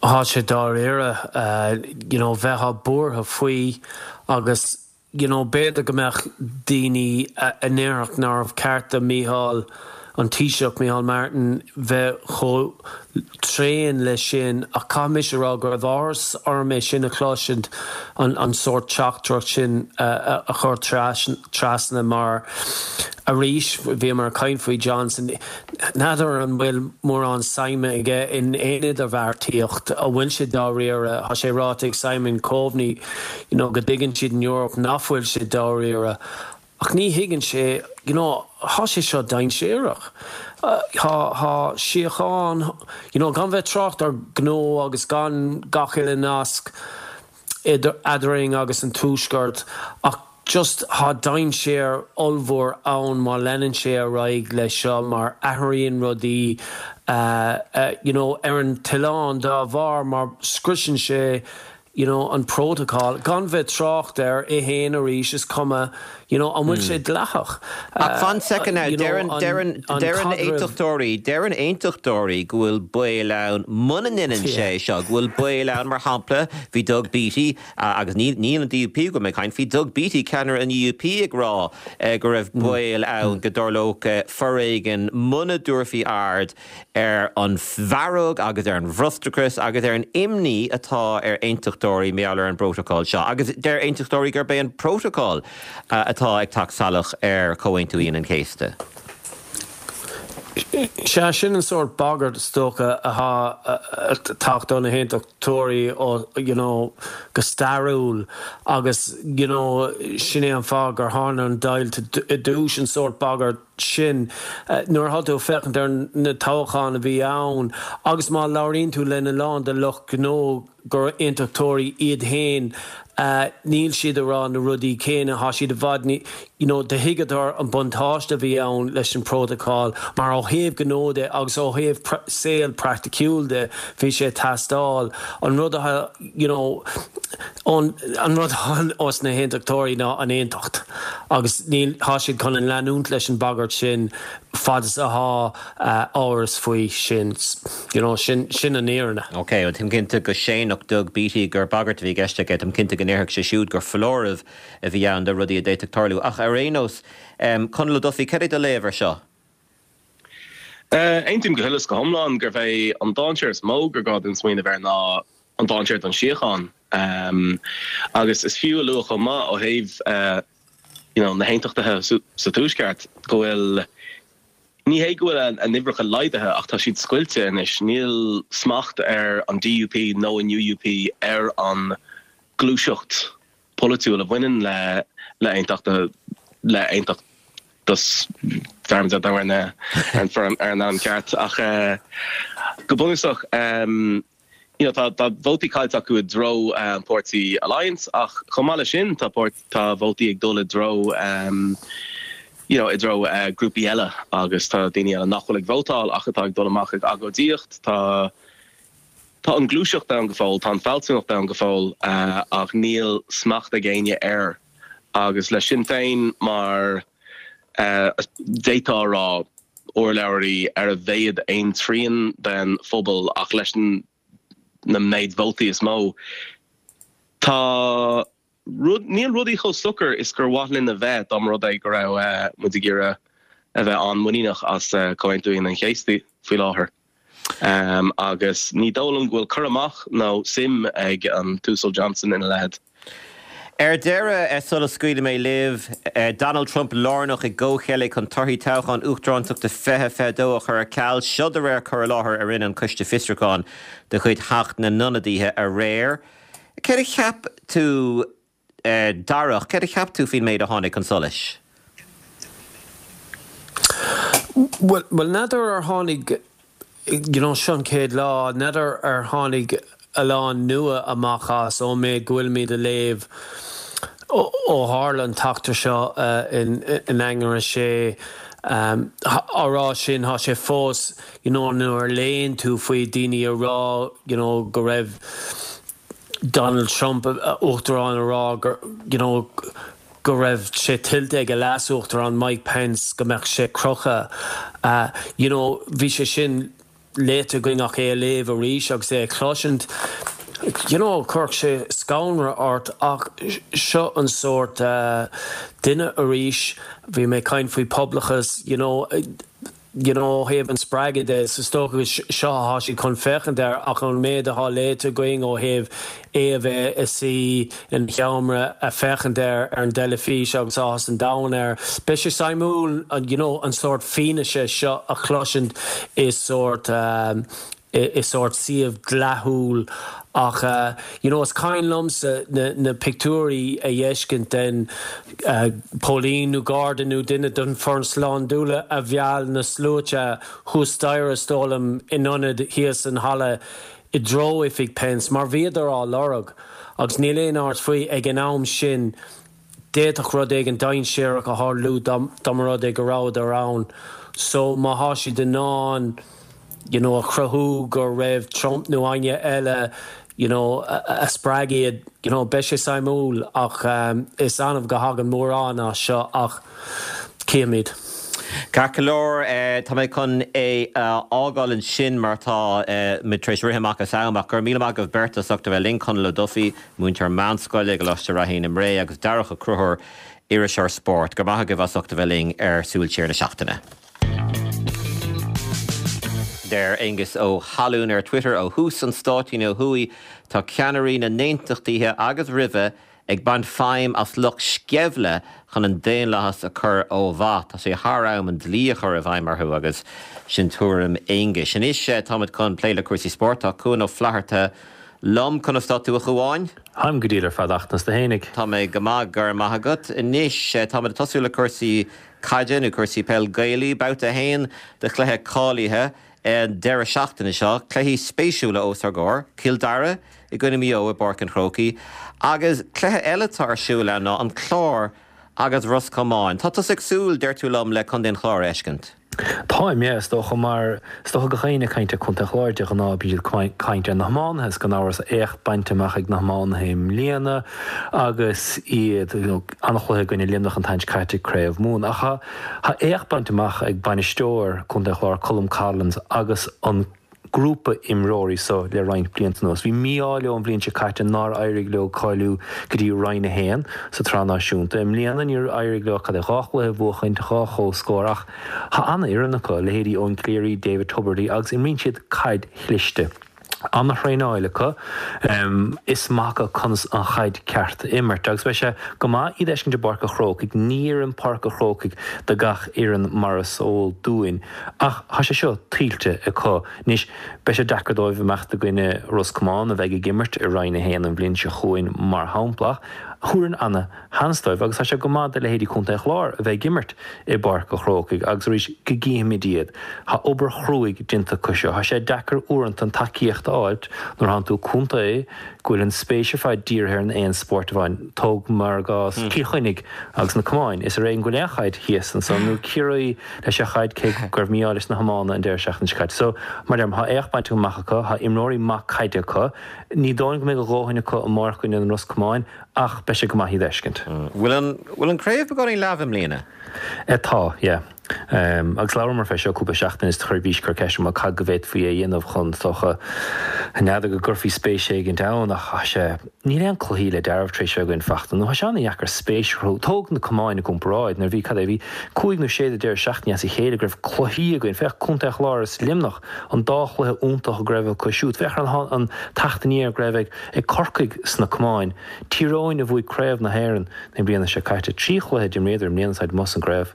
Tá sé dáiríre uh, you know, bheifeá buartha faoi agus you know, b'fhéidir go mbeadh daoine a ndéarfadh nárbh cheart do Micheál an Taoiseach Micheál Martin bheith chomh tréan leis sin ach caithfidh mé rá go raibh áthas orm é sin a chloisint an, an sórt teachtaireacht sin uh, a chur trasna mar arís bhí mar caint faoi Johnson n'fheadar an bhfuil mórán suime aige in aon idirbheartaíocht a bhfuil sé dáiríre tá sé ráite ag Simon Coveney you know, go dtuigeann siad in Europe nach bhfuil sé dáiríre ach ní thuigeann sé you know, tá sé seo dainséarach. Tá tá síocháin you know, gan bheith trácht ar gnó agus gan gach uile nasc eadrainn agus an tuaisceart ach just tá dainséar ollmhór ann má leanann sé ar aghaidh leis seo mar athraíonn rudaí uh, uh, you know, ar an oileán dá bharr mar scriosann sé you know, an protocol gan bheith trácht air é féin arís is cuma you know, an bhfuil sé dleathach. Ach fan second now deireann aontachtóirí deireann aontachtóirí go bhfuil baol ann muna ndéanann sé seo go bhfuil baol ann mar shampla bhí Doug Beattie agus ní ní an DUP go mé caint bhí Doug Beattie ceannaire an UUP ag rá go raibh baol ann go dtarlódh foréigean muna dtabharfaí aird ar an bhfearg agus ar an bhfrustrachas agus ar an imní atá ar aontachtóirí mar gheall ar an bprótacal seo. agus deir aontachtóirí gurb é an prótacal atá ag teacht salach ar Chomhaontú Aoine an Chéasta. Sea, sin an sórt bagairt is dócha atá ag teacht ó na hAontachtóirí ó you know go stairiúil agus you know sin é an fáth gur tharla an deighilt i dtús an sórt bagairt sin nuair atá tú ag féachaint ar na toghcháin a bhí ann agus má labhraíonn tú lena lán de lucht gnó gur aontachtóirí iad féin níl siad ag rá na rudaí céanna, tá siad i bhfad ní, you know, do thuigeadar an buntáiste a bhí ann leis an bprótacal mar ó thaobh gnó de agus ó thaobh saol praiticiúil de bhí sé ag teastáil. An rud atá, you know, an, an rud atá os na haontachtóirí ná an aontacht agus níl, tá siad chun an leanúint leis an bagairt sin fad is atá amhras faoi sin, you know, sin, sin an fhírinne. Ok, well táim cinnte go séanfadh Doug Beattie gur bagairt a bhí i gceist aige, táim cinnte go ndéarfadh sé siúd gur foláireamh a bhí ann do rudaí a d'fhéadfadh tarlú. Ach ar aon nós, Conall Ó Dufaigh, cad é do léamh ar seo? Aontaím go huile is go hiomlán gurb é an dainséar is mó gur gá dúinn smaoineamh air ná an dainséar don síocháin. Agus is fiú a lua chomh maith ó thaobh you know na hAontachtaithe sa Tuaisceart go bhfuil, ní hé go bhfuil a n-uimhreacha laghdaithe ach tá siad scoilte anois, níl smacht ar an DUP nó an UUP ar an gluaiseacht pholaitiúil a bhaineann le le aontacht le aontachtas dearmad ar an foirm ar an ainm ceart ach go bunúsach you know tá tá vótaí caillte acu i dtreo an páirtí Alliance ach chomh maith leis sin tá páirt tá vótaí ag dul i dtreo you know i dtreo grúpaí eile agus tá daoine eile nach bhfuil ag vótáil ach atá ag dul amach ag agóidíocht tá tá an gluaiseacht ann go fóill tá an fealsúnacht ann go fóill ach níl smacht ag éinne air agus le Sinn Féin mar d'fhéadfá a rá urlabhraí ar a mhéad aon trian den phobal ach leis an na méid vótaí is mó. Tá rud, níl rudaí chomh socair is gur mhaith linn a bheith dá mba rud é go raibh muid ag iarraidh a bheith an-mhuiníneach as Comhaontú Aoine an Chéasta faoi láthair. Agus ní dóigh liom go bhfuil cur amach nó suim ag an tUasal Johnson ina leithéid. Ar deireadh, sula scaoilfidh mé libh, Donald Trump lárnach i gcomhcheilg chun torthaí toghchán uachtarántachta fiche fiche dó a chur ar ceal, seo de réir cur i láthair a rinne an Coiste Fiosrúcháin de chuid Theach na nIonadaithe aréir. Céard a cheap tú, Darach, céard a cheap tú faoin méid a tháinig chun solais? Bhuel, n'fheadar ar tháinig you know, seo an chéad lá, n'fheadar ar tháinig a lán nua amach as ón méid go bhfuilimid a léamh ó tharla an t-eachtra seo in Eanáir a sé. Á rá sin, tá sé fós, you know, nuair a léann tú faoi daoine a rá, you know, go raibh Donald Trump, uachtarán, a rá gur, you know, go raibh sé tuillte ag a leas-uachtarán Mike Pence go mbeadh sé crochta. You know, bhí sé sin léite againn ach é a léamh arís agus é a chloisint, you know, chuirfeadh sé scanradh ort ach seo an sórt duine arís, bhí mé ag caint faoi poblachas, you know, you know, ó thaobh an spreagadh de, is dócha seo atá siad chun féachaint air ach an méid atá léite againn ó thaobh é a bheith ina shuí ina sheomra ag féachaint air ar an dteilifís agus áthas an domhain air. Beidh sé suimiúil you know, an sórt fianaise seo a chloisint i sórt i sórt suíomh dleathúil ach you know is cuimhin liomsa na na pictiúirí a fheiscint den póilín nó garda nó duine den foireann slándála a mheall na sluaite thuas staighre is dóigh liom in ionad thíos an halla i dtreo oifig Pence mar bhíodar á lorg agus níl aon amhras faoi ag an am sin D'fhéadfadh rud éigin dainséarach a tharlú dá mba rud é go rabhadar ann. So má thá siad in ann you know a chruthú go raibh Trump nó éinne eile you know a spreag iad you know beidh sé suimiúil ach is annamh go thagann mórán as seo ach cífimid. Ceart go leor, tá mé chun é a fhágáil ansin mar tá muid tar éis rith amach as am ach go raibh míle maith agaibh beirt as ucht a bheith linn, Conall Ó Dufaigh, múinteoir meánscoile i gColáiste Ráithín i mBré agus Darach Ó Conchúir, iriseoir spóirt. Go raibh maith agaibh as ucht a bheith linn ar Súil Siar na Seachtaine. Deir Aengus Ó hAlúin ar Twitter, Ó thús an stáitín ó thuaidh, tá ceannairí na nAontachtaithe agus roimhe, ag baint feidhm as lucht sceimhle chun an daonlathas a chur ó mhaith. Tá sé thar am an dlí a chur i bhfeidhm orthu agus sin tuairim Aonghuis. Anois táimid chun plé le cúrsaí spóirt, tá Cuan Ó Flatharta liom. Conas tá tú a Chuáin? Táim go diail ar fad ach tú fhéinig. Tá mé go maith go raibh maith agat. Anois táimid ag tosú le cúrsaí caide nó cúrsaí peil Gaelaí, babhta a haon de chluiche cáilithe an deireadh seachtaine seo, cluichí spéisiúla os ár gcomhair, Cill Dara i gcoinne Maigh Eo i bPáirc an Chrócaigh, agus cluiche eile atá ar siúl ann ná an Clár agus Ros Comáin. Tá tusa ag súil, deir tú liom, le Contae an Chláir a fheiscint. Táim, yeah, is dócha mar is dócha gach éinne ag caint ar Chontae an Chláir de ghnáth bíonn siad ag caint ar na hiománaithe is gan amhras éacht bainte amach ag na hiománaithe i mbliana agus iad you know, an-chluiche i gcoinne Luimneach an tseachtain seo caite Craobh Mumhan. Ach tá tá éacht bainte amach ag bainisteoir Chontae an Chláir Colm Collins agus an grúpa imreoirí so le roinnt blianta anuas. Bhí mí-ádh leo an bhliain seo caite nár éirigh leo cáiliú go dtí Roinn a haon sa tsraith náisiúnta. I mbliana níor éirigh leo cad é dhá chluiche a bhuachaint, dhá chomhscór ach tá an-fhoireann acu, leithéidí Eoin Cleary, David Tubridy agus imríonn siad caid chliste. An-thraenáil acu, is maith acu conas an chaid ceart a imirt agus beidh sé go maith iad a fheiscint i bPáirc a' Chrócaigh. Ní oireann Páirc a' Chrócaigh do gach fhoireann mar is eol dúinn ach tá sé seo tuillte acu. Anois beidh sé deacair dóibh imeacht i gcoinne Ros Comáin a bheidh ag imirt i Roinn a haon an bhliain seo chugainn mar shampla ach thabharfainn ana-sheans dóibh agus tá sé go maith do leithéidí Chontae an Chláir a bheith ag imirt i bPáirc a' Chrócaigh agus arís go gcífimid iad. Tá obair chruaidh déanta acu seo. Tá sé deacair uaireanta an tacaíocht a fháilt nuair thánn tú contae go bhfuil an spéis ar fad dírithe ar an aon spórt amháin. Tóg mar gcás Cill Chainnigh agus na camáin. Is ar éigean go bhfuil aon chaid thíos ansan nó Ciarraí leis an chaid cé go raibh mí-ádh leis na hiomána an deireadh seachtaine seo caite. So, mar a deirim, tá éacht bainte amach acu, tá imreoirí maith caide acu. Ní dóigh liom go mbeidh a dhóthain acu amárach i gcoinne an Ros Comáin ach beidh sé go maith iad a fheiscint. Bhfuil an bhfuil an craobh beagáinín leamh i mbliana? Tá, yeah. Agus labhramar fé seo cúpla seachtain is chuir bhís cur ceist orm cad go bhféadfaí a dhéanamh chun is dócha n'fheadar go gcuirfí spéis éigint ann ach tá sé níl aon cluichí le dealramh tar éis bheith againn fachta nó tá sé an-dheacair spéis a chruthú. Tóg na camáin i gcomparáid nuair a bhí cad é bhí cúig nó sé de deireadh seachtaine as a chéile go raibh cluichí againn. Féach Contae an Chláir is Luimneach an dá chluiche iontach go raibh acu siúd. Féach ar an an tseachtain aniar go raibh ag ag Corcaigh sna camáin. Tír Eoghain a bhuaigh Craobh na hÉireann na bliana seo caite. Trí chluiche d'imríodar i mbliana táid amuigh as an gcraobh.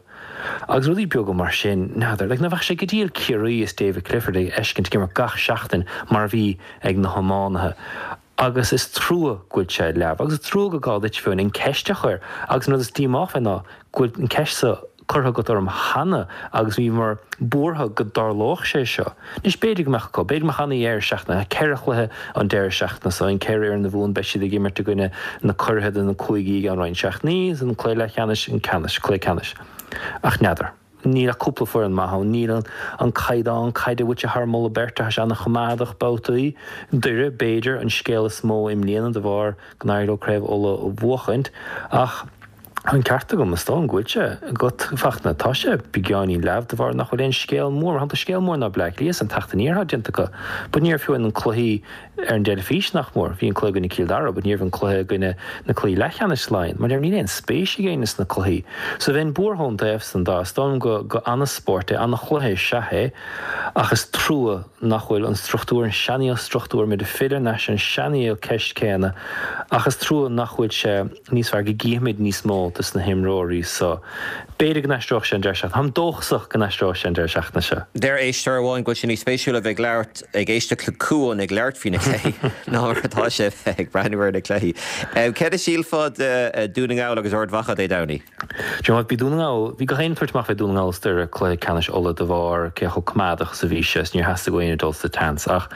Agus rudaí beaga mar sin, n'fheadar, like, ná bheadh sé go diail Ciarraí is David Clifford a fheiscint ag imirt gach seachtain mar a bhí ag na hiománaithe. Agus is trua go bhfuil sé leamh. Agus is trua go gá duit fiú an ceist a chur. Agus an rud is díomá fé ná go bhfuil an ceist so curtha agat orm cheana agus bhíomar buartha go dtarlódh sé seo. Anois b'fhéidir go mbeadh acu, b'fhéidir go mbeadh ana-dheireadh seachtaine, ceithre chluiche an deireadh seachtaine so, an ceithre fhoireann a bhuann beidh siad ag imirt i gcoinne na curaithe de na cúigí i gceann roinnt seachtainí, is an cluiche leathcheannais, an ceannais, cluiche ceannais. Ach n'fheadar. Níl ach cúpla foireann maith ann, níl an an caighdeán caide a bhfuil sé thar moladh beirte, tá sé ana-choimeádach babhtaí. Doire, b'fhéidir, an scéal is mó i mbliana de bharr go n-éirigh leo Craobh Uladh a bhuachaint ach, Tá an ceart agam, is dóigh liom go bhfuil sé agat, a Fachtna. Tá sé beagáinín leamh de bharr nach bhfuil aon scéal mór. Mar shampla, scéal mór ná Bleá Cliath an teacht aniar atá déanta acu. But ní raibh fiú aon cluichí ar an dteilifís nach mór. Bhí an cluiche i gcoinne Cill Dara, but ní raibh an cluiche i gcoinne na cluichí leathcheannais Laighean. Mar níl aon spéis ag éinne sna cluichí. So bheinn buartha ón dtaobh san de. Is dóigh liom go go ana-spórt é, ana-chluiche is ea é. Ach is trua nach bhfuil an struchtúr, an seanaíl struchtúr, muid ag filleadh ar ais ar an seanaíl ceist céanna. Ach is trua nach bhfuil sé níos fearr, go gcífimid níos mó dos na himreoirí so. B'fhéidir go n-aistreodh sé an deireadh seachtaine. Táim dóchasach go n-aistreodh sé an deireadh seachtaine seo. Deir éisteoir amháin go bhfuil sé níos spéisiúla a bheith ag labhairt, ag éisteacht le Cuan ag labhairt faoi na cluichí ná mar atá sé a bheith ag breathnú ar na cluichí. Céard a shílfeá de Dún na nGall agus Ard Mhacha Dé Domhnaigh? Do you know what, bhí Dún na nGall, bhí gach éinne ag tabhairt amach fé Dún na nGall is Doire cluiche ceannais Uladh de bharr cé chomh coimeádach is a bhí sé is níor theastaigh ó éinne dul sa tseans ach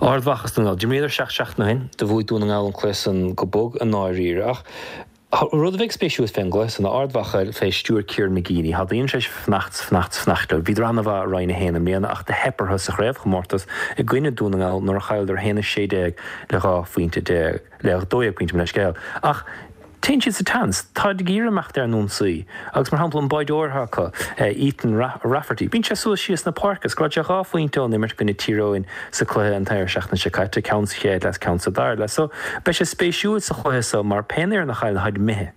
Ard Mhacha is Dún na nGall. D'imríodar seacht seachtain ó shin, do bhuaigh Dún na nGall an cluiche san go bog i ndáiríre ach rud a bheidh spéisiúil fén gcluiche san ná Ard Mhacha fé stiúir Kieran McGeeney. Tá daoine tar éis fanacht 's fanacht 's fanacht leo. Bhíodar ana-mhaith i Roinn a haon i mbliana ach do theip orthu sa chraobhchomórtas i gcoinne Dún na nGall nuair a chailleadar a haon a sé déag le dhá phointe déag, le dó dhéag pointe mo leithscéal. Ach téann siad sa tseans. Táid ag iarraidh imeacht ar an ionsaí. Agus mar shampla an báideoir atá acu, Ethan Rafferty, bíonn sé suas síos na páirce. Scóráil sé dhá phointe ón imirt i gcoinne Tír Eoghain sa cluiche an deireadh seachtaine seo caite, ceann sa chéad leath is ceann sa dara leath. So beidh sé spéisiúil sa chluiche so mar pén fhoireann a chailleann táid imithe.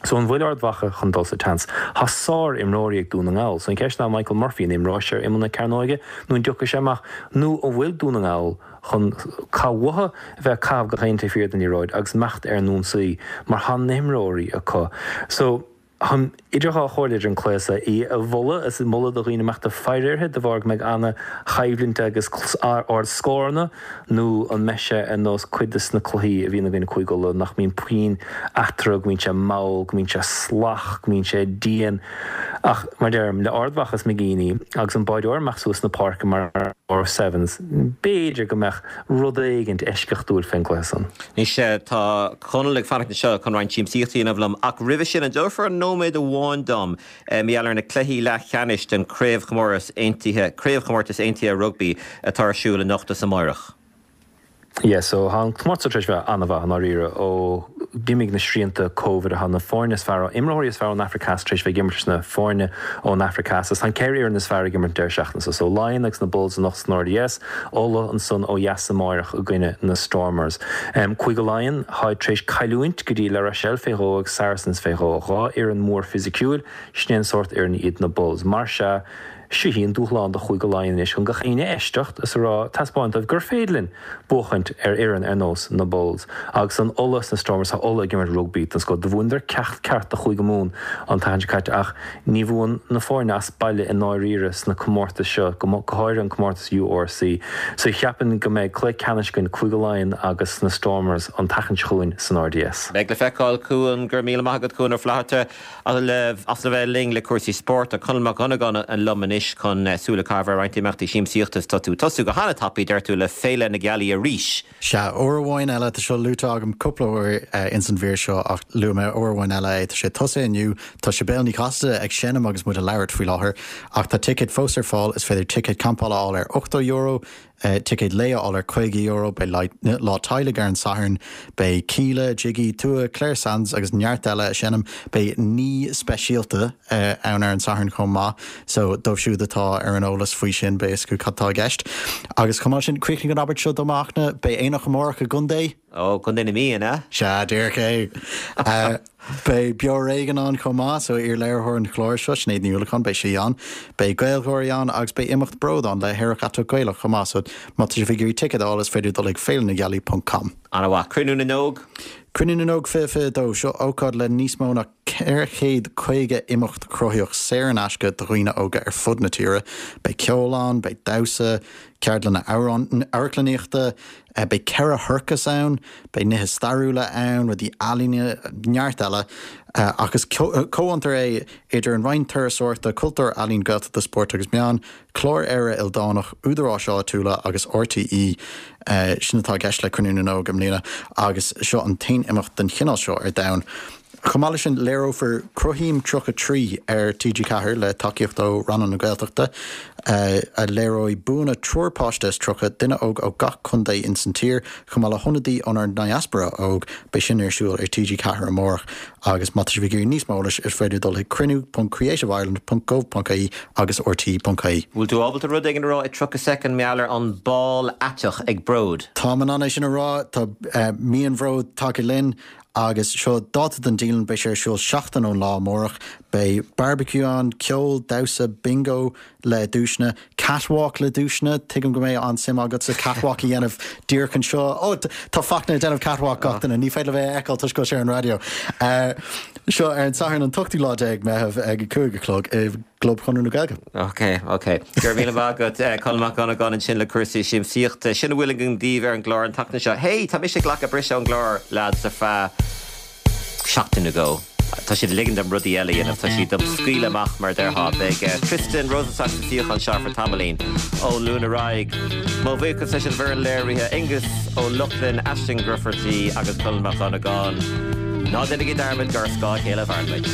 So an bhfuil Ard Mhacha chun dul sa tseans? Tá sár-imreoirí ag Dún na nGall. So an cheist ná Michael Murphy, an imreoidh sé ar imeall na cearnóige nó an dtiocfaidh sé amach nó an bhfuil Dún na nGall chun caitheamh uathu a bheith ag caitheamh gach aon taobh thiar den liathróid agus imeacht ar an ionsaí mar tá na himreoirí acu. So, táim idir dhá chomhairle idir an cluiche seo, í a mholadh is moladh do dhaoine imeacht ag faire uirthi de bharr go mbeidh ana-choimhlint agus ard scóranna nó an mbeidh sé ar nós cuid de na cluichí a bhíonn againn i Cúige Uladh nach mbíonn puinn eatarthu, go mbíonn sé mall, go mbíonn sé salach, go mbíonn sé dian. Ach mar a deirim, le Ard Mhacha is McGeeney agus an báireoir amach suas na páirce mar imreoir Sevens, b'fhéidir go mbeadh rud éigint eisceachtúil fén gcluiche san. Anois tá Conall ag fanacht anseo chun roinnt siamsaíochta a dhéanamh liom ach roimhe sin an dtabharfá nóiméad amháin dom mar gheall ar na cluichí leathcheannais den Chraobhchomórtas Aontaithe, Craobhchomórtas Aontaithe Rugbaí atá ar siúl anocht is amárach? Yeah, so tá an comórtas tar éis bheith an-mhaith i ndáiríre ó d'imigh na srianta Covid. Tá na foirne is fearr, imreoirí is fearr ón Afraic Theas tar éis bheith ag imirt leis na foirne ón Afraic Theas agus tá an ceithre fhoireann is fearr ag imirt an deireadh seachtaine seo. So Laighin agus na Bulls anocht san RDS, Ulaidh ansan ó dheas amáireach i gcoinne na Stormers. Cúige Laighean, táid tar éis cailliúint go dtí La Rochelle fé dhó agus Saracens fé dhó, dhá fhoireann mór fisiciúil, sin é an sórt fhoireann iad na Bulls. Mar sea, Seo í an dúshlán do Chúige Laighean anois chun gach éinne a éisteacht is a rá, taispeáint dóibh gur féidir linn buachaint ar fhoireann ar nós na Bulls. Agus an Ulaidh is na Stormers, tá Ulaidh ag imirt rugbaí den scoth. Do bhuaineadar ceacht ceart do Chúige Mumhan an tseachtain seo caite ach ní bhuann na foirne as baile i ndáiríre sna comórtais seo, go háirithe an comórtas URC. So cheapfainn go mbeidh cluiche ceannais againn, Cúige Laighean agus na Stormers an tseachtain seo chugainn san RDS. Beidh le feiceáil, Cuan. Go raibh míle maith agat, Cuan Ó Flatharta. As a bheith linn le cúrsaí spóirt, tá Conall Mac Dhonnagáin liom anois chun súil a chaitheamh ar roinnt imeachtaí siamsaíochta is tá tú ag tosú go hana-tapaidh, deir tú, le Féile na Gealaí arís. Sea, uair amháin eile, tá seo luaite agam cúpla uair ins an mhír seo ach luafaidh mé uair amháin eile é, tá sé tosaithe inniu, tá Sibéal Ní Chasaide ag seinm agus muid ag labhairt faoi láthair ach tá ticéid fós ar fáil, is féidir ticéad campála a fháil ar ochtó euro, Ticéad lae a fháil ar caoga euro, beidh lá teaghlaigh ar an Satharn, beidh Kíla, Jiggy, Tua, Clare Sands agus neart eile ag seinm. Beidh ní speisialta ann ar an Satharn chomh maith so dóibh siúd atá ar an eolas faoi sin beidh a fhios acu cad tá i gceist. Agus chomh maith sin, críochnaigh an abairt seo dom a Fhachtna, beidh aonach amárach i gContae. Ó, Contae na Mí, an ea? Sea, díreach é. Beidh Beo ar Éigean ann chomh maith, so iar-léiritheoir an chláir seo, Sinéad Ní Uallacháin, beidh sí ann. Beidh GaelGháirí ann agus beidh imeacht Bród ann le hAerach Aiteach Gaelach chomh maith, so má tá sibh ag iarraidh ticéad a fháil is féidir dul ag féilenagealaí ponc com. An-mhaith. Cruinniú na nÓg? Cruinniú na nÓg fiche fiche a dó, seo ócáid le níos mó ná ceithre chéad caoga imeacht cruthaitheach saor in aisce do dhaoine óga ar fud na tíre. Beidh ceol ann, beidh damhsa, ceardlanna amharclannaíochta, beidh ceithre shorcas ann, beidh nithe stairiúla ann, rudaí ealaíne, neart eile. Ach is comhfhiontar é idir an Roinn Turasóireachta, Cultúir, Ealaíon, Gaeltachta, Spóirt agus Meán, Clár Éire Ildánach, údaráis áitiúla agus RTÉ. Sin atá i gceist le Cruinniú na nÓg i mbliana agus seo an t-aon imeacht den chineál seo ar domhan. Chomh maith leis sin, léireofar Cruthaím tríocha a trí ar TG Ceathair le tacaíocht ó Rannán na Gaeltachta, a léireoidh buanna triúr páiste is tríocha, duine óg ó gach contae ins an tír, chomh maith le hionadaí ónár ndiaspóra óg. Beidh sin ar siúl ar TG Ceathair amárach agus má tá sibh ag iarraidh níos mó eolais is féidir dul chuig cruinniú ponc creativeireland ponc gov ponc ie agus rte ponc ie. Bhfuil tú ábalta rud éigin a rá i tríocha soicind mar gheall ar an bál aiteach ag Bród? Táim in ann é sin a rá, tá mí an Bhróid tagtha linn. Agus seo dáta don dialann, beidh sé ar siúl seachtain ón lá amárach. Beidh barbecue ann, ceol, damhsa, bingo le duaiseanna, catwalk le duaiseanna, tuigim go mbeidh an-suim agatsa catwalk a dhéanamh díreach anseo. Ó, tá Fachtna ag déanamh catwalk gach duine, ní féidir libh é a fheiceáil toisc go bhfuil sé ar an raidió. Seo ar an Satharn an t-ochtú lá déag Meitheamh ag a cúig a chlog i gClub Chonradh na Gaeilge. Ok, ok. Go raibh míle maith agat, Conall Mac Dhonnagáin ansin le cúrsaí siamsaíochta. Sin a bhfuil againn daoibh ar an gclár an tseachtain seo. Hey, tá mise ag glacadh briseadh ón gclár, lads, ar feadh seachtain nó dhó. Tá siad ag ligean dom rudaí eile a dhéanamh. Tá siad dom scaoileadh amach, mar a déarfá. Beidh Tristan Rosenstock sa suíochán seo ar feadh tamaillín ón Luan ar aghaidh. Mo bhuíochas leis an bhfoireann léirithe, Aengus Ó Lochlainn, Aisling Grufferty agus Conall Mac Dhonnagáin. Ná déanaigí dearmad gur ar scáth a chéile a mhaireann muid.